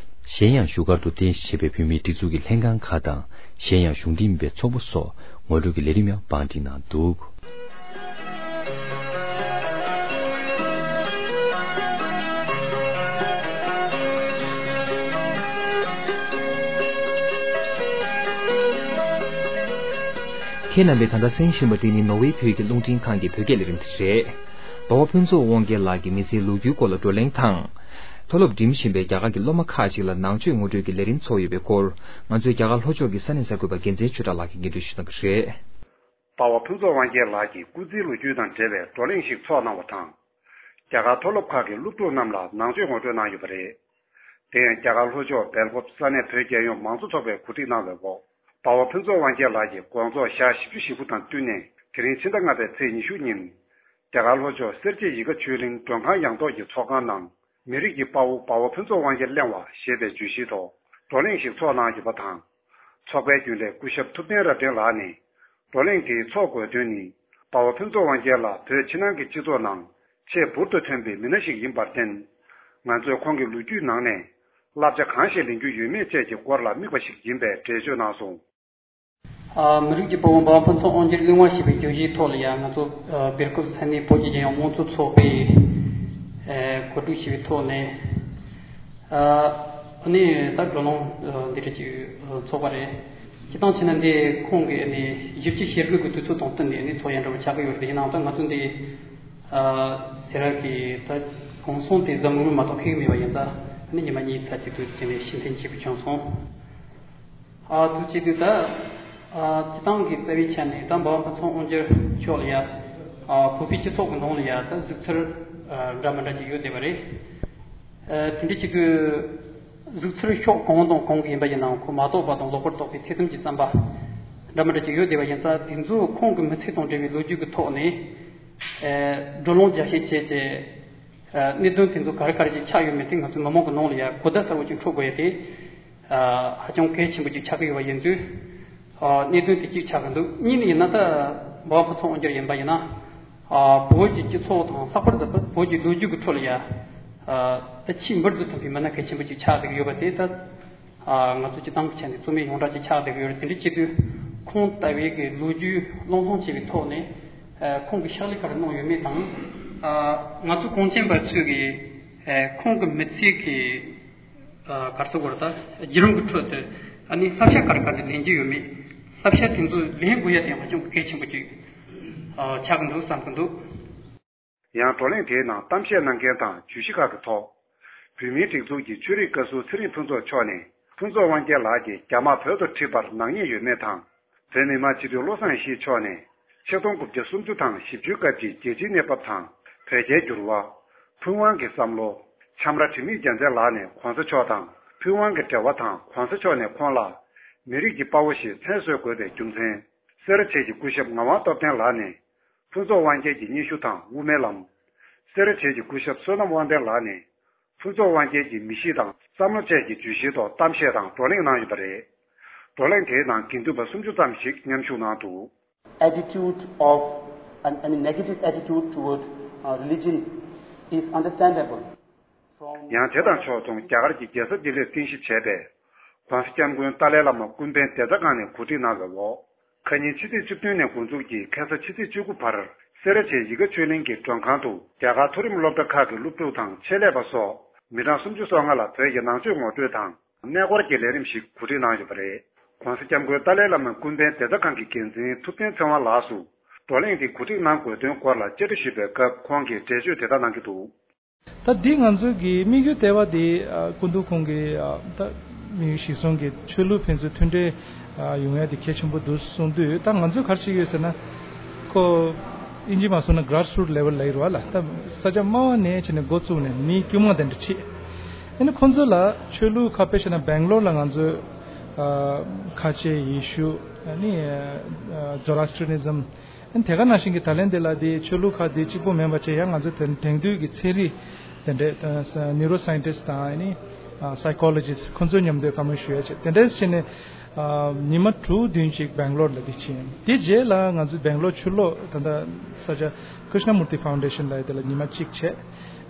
གཞན་ཡང་བཞུགས་སྒར་དུ་རྟེན་གཞི་བྱས་པའི་བོད་མིའི་སྒྲིག་འཛུགས་ཀྱི་ལྷན་ཁང་ཁག་དང་གཞན་ཡང་གཞུང་འབྲེལ་མིན་པའི་ཚོགས་པ་སོགས་ངོ་སྤྲོད་ཀྱི་ལས་རིམ་ཡང་བང་སྒྲིག་གནང་འདུག་ཁྱེད་རྣམ་པས་ད་ལྟ་གསན་བཞིན་པ་འདི་ནི་ནོར་ཝེ་བོད་ཀྱི་རླུང་འཕྲིན་ཁང་གི་བོད་སྐད་ལས་རིམ་དེ་རེད། འབའ་བ་ཕུན་ཚོགས་དབང་རྒྱལ་ལགས་ཀྱིས་མི་ཚེའི་ལོ་རྒྱུས་སྐོར་ལ་བགྲོ་གླེང་དང་། མཐོ་སློབ་འགྲིམ་བཞིན་པའི་རྒྱ་གར་གྱི་སློབ་མ་ཁག་ཅིག་ལ་ནང་ཆོས་ངོ་སྤྲོད་ཀྱི་ལས་རིམ་ཚོགས་ཡོད་པའི་སྐོར། ང་ཚོའི་རྒྱ་གར་ལྷོ་ཕྱོགས་ཀྱི་ས་གནས་གསར་འགོད་པ་རྒྱལ་མཚན་ཆོས་གྲགས་ལགས་ཀྱིས་སྙན་སྒྲོན་ཞུ་གནང་གི་རེད། འབའ་བ་ཕུན་ཚོགས་དབང་རྒྱལ་ལགས་ཀྱིས་སྐུ་ཚེའི་ལོ་རྒྱུས་དང་འབྲེལ་བའི་བགྲོ་གླེང་ཞིག་ཚོགས་གནང་བ་དང་། རྒྱ་གར་མཐོ་སློབ་ཁག་གི་སློབ་ཕྲུག་རྣམས་ལ་ནང་ཆོས་ངོ་སྤྲོད་གནང་ཡོད་པ་རེད། དེ་ཡང་རྒྱ་གར་ལྷོ་ཕྱོགས་སྦེལ་ཀོབ་ས་གནས་བོད་རྒྱལ་ཡོངས་མང་གཙོ་ཚོགས་པས་གོ་སྒྲིག་གནང་བའི་འོག་འབའ་བ་ཕུན་ཚོགས་དབང་རྒྱལ་ལགས་ཀྱིས་དགོང་ཚོགས་ཞག་བཞི་བཅུ་ཞེ་དགུ་དང་བསྟུན་ནས་དེ་རིང་ཕྱི་ཟླ་ལྔ་པའི་ཚེས་ཉི་ཤུ་ཉིན། རྒྱ་གར་ལྷོ་ཕྱོགས་སེར་བྱེས་ཡིད་དགའ་ཆོས་གླིང་མགྲོན་ཁང་ཡང་ཐོག་གི་ཚོགས་ཁང་ནང་། མི་རིགས་ཀྱི་དཔའ་བོ་འབའ་བ་ཕུན་ཚོགས་དབང་རྒྱལ་གླེང་བ་ཞེས་པའི་བརྗོད་གཞིའི་ཐོག་བགྲོ་གླེང་ཞིག་ཚོགས་གནང་ཡོད་པ་དང་། ཚོགས་པའི་རྒྱུན་ལས་སྐུ་ཞབས་ཐུབ་བསྟན་རབ་བརྟན་ལགས་ནས། བགྲོ་གླེང་དེའི་ཚོགས་དགོས་དོན་ནི། འབའ་བ་ཕུན་ཚོགས་དབང་རྒྱལ་ལགས་བོད་ཕྱི་ནང་གི་སྤྱི་ཚོགས་ནང་ཆེས་འབུར་དུ་ཐོན་པའི་མི་སྣ་ཞིག་ཡིན་པར་བརྟེན། ང་ཚོས་ཁོང་གི་ལོ་རྒྱུས་ནང་ནས་བསླབ་བྱ་གང་ཞིག་ལེན་རྒྱུ་ཡོད་མེད་བཅས་ཀྱི་སྐོར་ལ་དམིགས་པ་ཞིག་ཡིན་པའི་འགྲེལ་བརྗོད་གནང་སོང་། ཨ། མི་རིགས་ཀྱི་དཔའ་བོ་འབའ་བ་ཕུན་ཚོགས་དབང་རྒྱལ་གླེང་བ་ཞེས་པའི་བརྗོད་གཞིའི་ཐོག་ལ་ཡང་ང་ཚོ་ཨ་སྦེལ་ཀོབ་ས་གནས་བོད་ཀྱི་རྒྱལ་ཡོངས་དམངས་གཙོ་ཚོགས་པས་ཨ་གོ་སྒྲིག་ཞུས་པའི་ཐོག་ནས། ཨ་ནི་ད་བགྲོ་གླེང་ཨ་འདི་འདྲ་ཅིག་ཨ་ཚོགས་པ་རེད། སྤྱིར་བཏང་བྱས་ན་འདི་ཁོང་གིས་ཨ་ནི་བཞི་བཅུ་ཞེ་དགུ་གི་དུས་ཚོད་དང་བསྟུན་ནས་ཨ་ནི་ཚོགས་ཡ་འདྲ་བོ་ཆགས་ཀྱི་ཡོད་རེད། ཡིན་ནའང་ད་ང་ཚོ་འདི་ཨ་སེ་ར་གི་ད་གུང་སེང་དེ་གཟའ་མིག་དམར་མ་གཏོགས་འཁེལ་གྱི་མེད་པ་ཡིན་ཙང་ཨ་ནི་ཉི་མ་གཉིས་ཙམ་ཅིག་དུས་ཚོད་ནས་ཕྱིར་འཐེན་བྱས་པ་བྱུང་སོང་། ཨ་དུས་ཚོད་དུས་ད། ཨ། སྤྱི་བཏང་གི་རྩ་བའི་ཆ་ནས་ད་འབའ་བ་ཕུན་ཚོགས་དབང་རྒྱལ་མཆོག་ལ་ཡ། ཨ། བོད་པའི་སྤྱི་ཚོགས་ཀྱི་ནང་ལ་ཡ་ད་གཟིགས་ཚུལ་ཨ་འདྲ་མི་འདྲ་ཅིག་ཡོད་བསྡད་པ་རེད། ཨ། དེ་འདྲ་ཅིག་གི་གཟིགས་ཚུལ་ཕྱོགས་གང་དང་གང་གི་ཡིན་པ་ཡིན་ནའང་ཁོ་མ་རྟོགས་པ་དང་ལོག་པར་རྟོག་པའི་ཐེ་ཚོམ་གྱི་བསམ་པ་འདྲ་མི་འདྲ་ཅིག་ཡོད་བསྡད་པ་ཡིན་ཙང་། དེ་ཚོ་ཁོང་གི་མི་ཚེ་དང་འབྲེལ་བའི་ལོ་རྒྱུས་ཀྱི་ཐོག་ནས་ཨ་བགྲོ་གླེང་རྒྱག་བཤད་བྱས་བྱས། ཨ། གནད་དོན་དེ་ཚོ་ག་རེ་ག་རེ་ཅིག་ཆགས་ཡོད་མེད་དེ་ང་ཚོའི་མི་མང་གི་ནང་ལ་ཡ་གོ་བརྡ་གསལ་བོ་ཅིག་འཕྲོད་དགོས་ཡ་དེ། ཨ། ཧ་ཅང་གལ་ཆེན་པོ་ཅིག་ཆགས་ཀྱི་ཡོད་པ་ཡིན་དུས། ཨ། གནད་དོན་དེ་གཅིག་ཆགས་ཀྱི་འདུག་གཉིས་ནས་ཡིན་ན་ད་འབའ་བ་ཕུན་ཚོགས་དབང་རྒྱལ་ཡིན་པ་ཡིན་ན། ཨ། བོད་ཀྱི་སྤྱི་ཚོགས་དང་ལྷག་པར་དུ་བོད་ཀྱི་ལོ་རྒྱུས་ཀྱི་ཁྲོད་ལ་ཡ། ཨ། ད་ཆེས་འབུར་དུ་ཐོན་པའི་མི་སྣ་གལ་ཆེན་པོ་ཅིག་ཆགས་བསྡད་ཀྱི་ཡོད་པ་དེ་ད། ཨ། ང་ཚོ་སྤྱི་བཏང་གི་ཆ་ནས་རྩོད་མེད་ཡོངས་གྲགས་ཅིག་ཆགས་བསྡད་ཀྱི་ཡོད་རེད། དེ་འདྲ་བྱེད་དུས་ཁོང་ལྟ་བུའི་གི་ལོ་རྒྱུས་བློས་གཏོང་བྱས་པའི་ཐོག་ནས། ཨ། ཁོང་གིས་ཕྱག་ལས་ག་རེ་གནང་ཡོད་མེད་དང་། ཨ། ང་ཚོ་གངས་ཅན་པ་ཚོས་ཀྱི། ཨ། ཁོང་གི་མི་ཚེ་གི། ཨ། ག་རེ་ཟེར་དགོས་རེད། ད་བརྒྱུད་རིམ་གྱི་ཁྲོད་དུ་ཨ་ནི་བསླབ་བྱ་ག་རེ་ག་རེ་ལེན་རྒྱུ་ཡོད་མེད། བསླབ་བྱ་དེ་ཚོ་ལེན་དགོས་ཡ་དེ་ཧ་ཅང་གལ་ཆེན་པོ་ཅིག་ཨ། ཆགས་ཀྱི་འདུག་བསམ་གྱི་འདུག་ཡང་བགྲོ་གླེང་དེའི་ནང་གཏམ་བཤད་གནང་མཁན་དང་བརྗོད་གཞི་ཁག་གི་ཐོག་བོད་མིའི་སྒྲིག་འཛུགས་ཀྱི་ཆོས་རིག་བཀའ་ཟུར་ཚེ་རིང་ཕུན་ཚོགས་མཆོག་ནས། ཕུན་ཚོགས་དབང་རྒྱལ་ལགས་ཀྱིས་རྒྱ་དམག་བོད་དུ་ཁྲིད་པར་ནག་ཉེས་ཡོད་མེད་དང་། བོད་མི་མང་སྤྱི་འཐུས་བློ་བཟང་ཡེ་ཤེས་མཆོག་ནས་ཆིག་སྟོང་དགུ་བརྒྱ་སུམ་ཅུ་དང་བཞི་བཅུའི་སྐབས་ཀྱི་རྒྱལ་སྤྱིའི་གནས་བབ་དང་། བོད་རྒྱའི་འགྱུར་བ། ཕུན་དབང་གི་བསམ་བློ། འཆམ་ར་དྲི་མེད་རྒྱལ་མཚན་ལགས་ནས་གོང་ས་མཆོག་དང་ཕུན་དབང་གི་འབྲེལ་བ་དང་། གོང་ས་མཆོག་ནས་ཁོང་ལ་མི་རིགས་ཀྱི་དཔའ་བོ་ཞེས་མཚན་གསོལ་དགོས་པའི་རྒྱུ་མཚན། སེ་ར་བྱེས་ཀྱི་སྐུ་ཞབས་ངག་དབང་སྟོབས་ལྡན་ལགས་ནས་ཕུན་ཚོགས་དབང་རྒྱལ་གྱི་སྙན་ཞུ་དང་དབུ་མའི་ལམ། སེ་ར་བྱེས་ཀྱི་སྐུ་ཞབས་བསོད་ནམས་དབང་ལྡན་ལགས་ནས་ཕུན་ཚོགས་དབང་རྒྱལ་གྱི་མི་གཤིས་དང་བསམ་བློ་བཅས་ཀྱི་བརྗོད་གཞིའི་ཐོག་གཏམ་བཤད་དང་བགྲོ་གླེང་གནང་ཡོད་པ་རེད། བགྲོ་གླེང་དེའི་ནང་དགེ་འདུན་པ་སུམ་ཅུ་ཙམ་ཞིག་མཉམ་ཞུགས་གནང་འདུག Attitude of, I mean, negative attitude toward uh, religion is understandable. ཡང་དེ་དང་ཕྱོགས་མཚུངས་རྒྱ་གར་གྱི་རྒྱལ་ས་ལྡི་ལིར་རྟེན་གཞི་བྱས་པའི་༸གོང་ས་༸སྐྱབས་མགོན་ཏཱ་ལའི་བླ་མ་ཀུན་ཕན་བདེ་རྩ་ཁང་ནས་གོ་སྒྲིག་གནང་བའི་འོག་ཁ་ཉིན་ཕྱི་ཚེས་བཅུ་བདུན་ནས་འགོ་འཛུགས་ཀྱིས་ཁ་སང་ཕྱི་ཚེས་བཅུ་དགུ་བར་སེ་ར་བྱེས་ཡིད་དགའ་ཆོས་གླིང་གི་མགྲོན་ཁང་དུ་རྒྱ་གར་མཐོ་རིམ་སློབ་གྲྭ་ཁག་གི་སློབ་ཕྲུག་དང་ཆེད་ལས་པ་སོགས་མི་གྲངས་སུམ་ཅུ་སོ་ལྔ་ལ་བོད་ཀྱི་ནང་ཆོས་ངོ་སྤྲོད་དང་གནས་སྐོར་གྱི་ལས་རིམ་ཞིག་གོ་སྒྲིག་གནང་ཡོད་པ་རེད། ༸གོང་ས་༸སྐྱབས་མགོན་ཏཱ་ལའི་བླ་མ་ཀུན་ཕན་བདེ་རྩ་ཁང་གི་འགན་འཛིན་ཐུབ་བསྟན་ཚེ་དབང་ལགས་སུ་བགྲོ་གླེང་དེ་གོ་སྒྲིག་གནང་དགོས་དོན་སྐོར་ལ་བཅར་འདྲི་ཞུས་པའི་སྐབས་ཁོང་གིས་འགྲེལ་བརྗོད་དེ་ལྟར་གནང་གི་འདུག་ད་འདི་ང་ཚོ་གི་དམིགས་ཡུལ་ལྟེ་བ་འདི་ཨ་སྐུ་མདུན་ཁོང་གི་ཨ་ད་དམིགས་ཡུལ་གཞིར་བཟུང་གི་ཆོས་ལུགས་ཕན་ཚུན་མཐུན་འབྲེལ་ཨ་ཡོང་ཡ་དེ་གལ་ཆེན་པོ་འདུག་གསུངས་དུས། ད་ང་ཚོས་ག་རེ་བྱེད་ཀྱི་ཡོད་ཟེར་ན། ཁོ་ཨིན་ཇི་མ་སོང་ན་grassroot level ལབ་ཀྱི་རེད་བ་ལ། ད་ས་ཆ་དམའ་བ་ནས་བྱས་ནས་འགོ་བཙུགས་ནས་མི་དཀྱུས་མ་དེ་འདྲ་ཁྲིད། ཨ་ནི་ཁོང་ཚོ་ལ་ཆོས་ལུགས་ཁག་དཔེ་བྱས་ན་སྦེང་ལོར་ལ་ང་ཚོས་ཨ་ཁ་ཆེ་ཡེ་ཤུ། ཨ་ནི་ཨ་Zoroastrianism། དེ་ག་ནང་བཞིན་གྱི་ད་ལན་དེ་ལ་དེ་ཆོས་ལུགས་ཁག་དེ་གཅིག་པོ་མིན་པ་བྱས། ཡང་ང་ཚོ་དེ་དེང་དུས་ཀྱི་ཚན་རིག་དེ་འདྲས་neuroscientist དང་ཨ་ནི་psychologist ཁོང་ཚོའི་མཉམ་དུ་བཀའ་མོལ་ཞུ་ཡ་བྱས། དེ་འདྲས་བྱས་ནས་ཉི་མ་དྲུག་བདུན་ཅིག་སྦེང་ལོར་ལ་དེ་ཕྱིན། དེ་རྗེས་ལ་ང་ཚོ་སྦེང་ལོར་ཕྱིར་ལོག་ད་ལྟ་ས་ཆ་Krishnamurti Foundation ལ་དེ་ལ་ཉི་མ་གཅིག་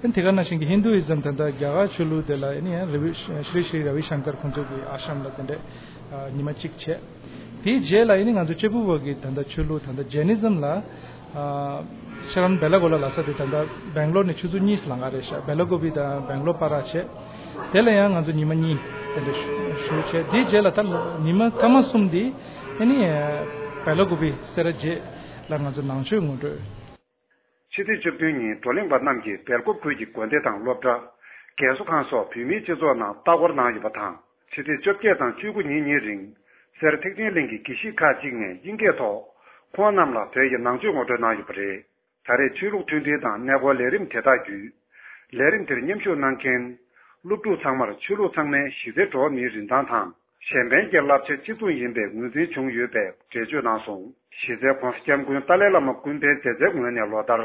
བྱས། དེ་ག་ནང་བཞིན་གྱི་Hinduism ད་ལྟ་རྒྱ་གར་ཆོས་ལུགས་དེ་ལ་ཨ་ནི་ཡང་ར་བི་ཤྲི་ཤྲི་ར་བི་ཤང་ཀར་ཁོང་ཚོ་གི་ཨ་ཤམ་ལ་དེ་འདྲས་ཉི་མ་གཅིག་བྱས། དེའི་རྗེས་ལ་ཨ་ནི་ང་ཚོ་གཅེར་བུ་བ་གི་ད་ལྟ་ཆོས་ལུགས་ད་ལྟ་Jainism ལ་ཨ་ཤ་རམ་བེ་ལ་གོ་ལ་ལ་ས་དེ་ད་ལྟ་སྦེང་ལོར་ནས་ཆུ་ཚོད་གཉིས་ལང་ག་རེད་ཤག་བེ་ལ་གོ་བི་དང་སྦེང་ལོར་བར་བྱས། དེ་ལ་ཡང་ང་ཚོ་ཉི་མ་གཉིས་དེ་འདྲ་བཞུགས་བྱས། དེའི་རྗེས་ལ་ད་ཉི་མ་སྐར་མ་གསུམ་དེ་ཨ་ནི་བེ་ལ་གོ་བི་སེ་ར་བྱེས་ལ་ང་ཚོ་ནང་ཆོས་ངོ་སྤྲོད། ཕྱི་ཚེས་བཅུ་བདུན་ཉིན་བགྲོ་གླེང་པ་རྣམས་ཀྱིས་སྦེལ་ཀོབ་ཁུལ་གྱི་དགོན་སྡེ་དང་སློབ་གྲྭ། རྒས་གསོ་ཁང་སོགས་བོད་མིའི་སྤྱི་ཚོགས་ནང་ལྟ་སྐོར་གནང་ཡོད་པ་དང་། ཕྱི་ཚེས་བཅོ་བརྒྱད་དང་བཅུ་དགུ་ཉིན་གཉིས་རིང་སེར་ཐེག་ཆེན་གླིང་གི་དགེ་བཤེས་ཁག་ཅིག་ནས་དབྱིན་སྐད་ཐོག་ཁོང་རྣམས་ལ་བོད་ཀྱི་ནང་ཆོས་ངོ་སྤྲོད་གནང་ཡོད་པ་རེད། ད་རེས་ཆོས་ལུགས་མཐུན་སྒྲིལ་དང་གནས་སྐོར་ལས་རིམ་དེ་དག་བརྒྱུད། ལས་རིམ་དེར་མཉམ་ཞུགས་གནང་མཁན་སློབ་ཕྲུག་ཚང་མར་ཆོས་ལུགས་ཚང་མའི་གཞི་རྩའི་འགྲོ་བ་མིའི་རིན་ཐང་དང་། གཞན་ཕན་གྱི་བསླབ་བྱ་གཅིག་མཚུངས་ཡིན་པའི་ངོས་འཛིན་བྱུང་ཡོད་པའི་འགྲེལ་བརྗོད་གནང་སོང་། གཞི་རྩའི་༸གོང་ས་༸སྐྱབས་མགོན་ཏཱ་ལའི་བླ་མ་ཀུན་ཕན་མཛད་རྩའི་ངོས་ནས་ལོ་ལྟར་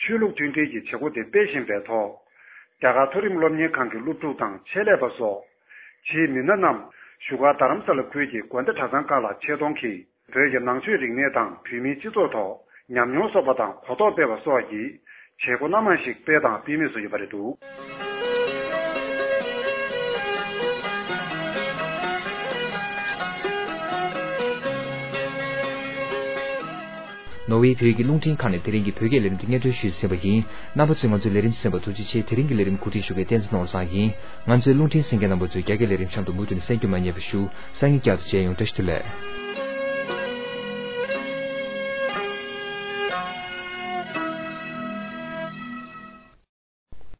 ཆོས་ལུགས་མཐུན་སྒྲིལ་གྱི་བྱེད་སྒོ་དེ་སྤེལ་བཞིན་པའི་ཐོག་རྒྱ་གར་མཐོ་རིམ་སློབ་གཉེར་ཁང་གི་སློབ་ཕྲུག་དང་ཆེད་ལས་པ་སོགས་ཆེས་མི་སྣ་རྣམས་བཞུགས་སྒར་རྡ་རམ་ས་ལ་ཁུལ་གྱི་དགོན་སྡེ་གྲྭ་ཚང་ཁག་ལ་ཆེད་གཏོང་གིས། བོད་ཀྱི་ནང་ཆོས་རིག་གནས་དང་བོད་མིའི་སྤྱི་ཚོགས་ཐོག་ཉམས་མྱོང་གསོག་པ་དང་གོ་རྟོགས་སྤེལ་བ་སོགས་ཀྱི་བྱེད་སྒོ་སྣ་མང་ཞིག་སྤེལ་དང་སྤེལ་མུས་སུ་ཡོད་པ་རེད་འདུག་ནོར་ཝེ་བོད་ཀྱི་རླུང་འཕྲིན་ཁང་ནས་དེ་རིང་གི་བོད་སྐད་ལས་རིམ་དེ་སྙན་སྒྲོན་ཞུས་ཟིན་པ་ཡིན། རྣམ་པ་ཚོས་ང་ཚོའི་ལས་རིམ་གསན་པར་ཐུགས་རྗེ་ཆེ། དེ་རིང་གི་ལས་རིམ་གོ་སྒྲིག་ཞུ་མཁན་བསྟན་འཛིན་ནོར་བཟང་ཡིན། ང་ཚོའི་རླུང་འཕྲིན་གསན་མཁན་རྣམ་པ་ཚོས་རྒྱ་སྐད་ལས་རིམ་གཤམ་དུ་མུ་མཐུད་ནས་གསན་རྒྱུ་མ་བསྙེལ་བ་ཞུ། སང་ཉིན་བསྐྱར་དུ་མཇལ་ཡོང་། བཀྲ་ཤིས་བདེ་ལེགས།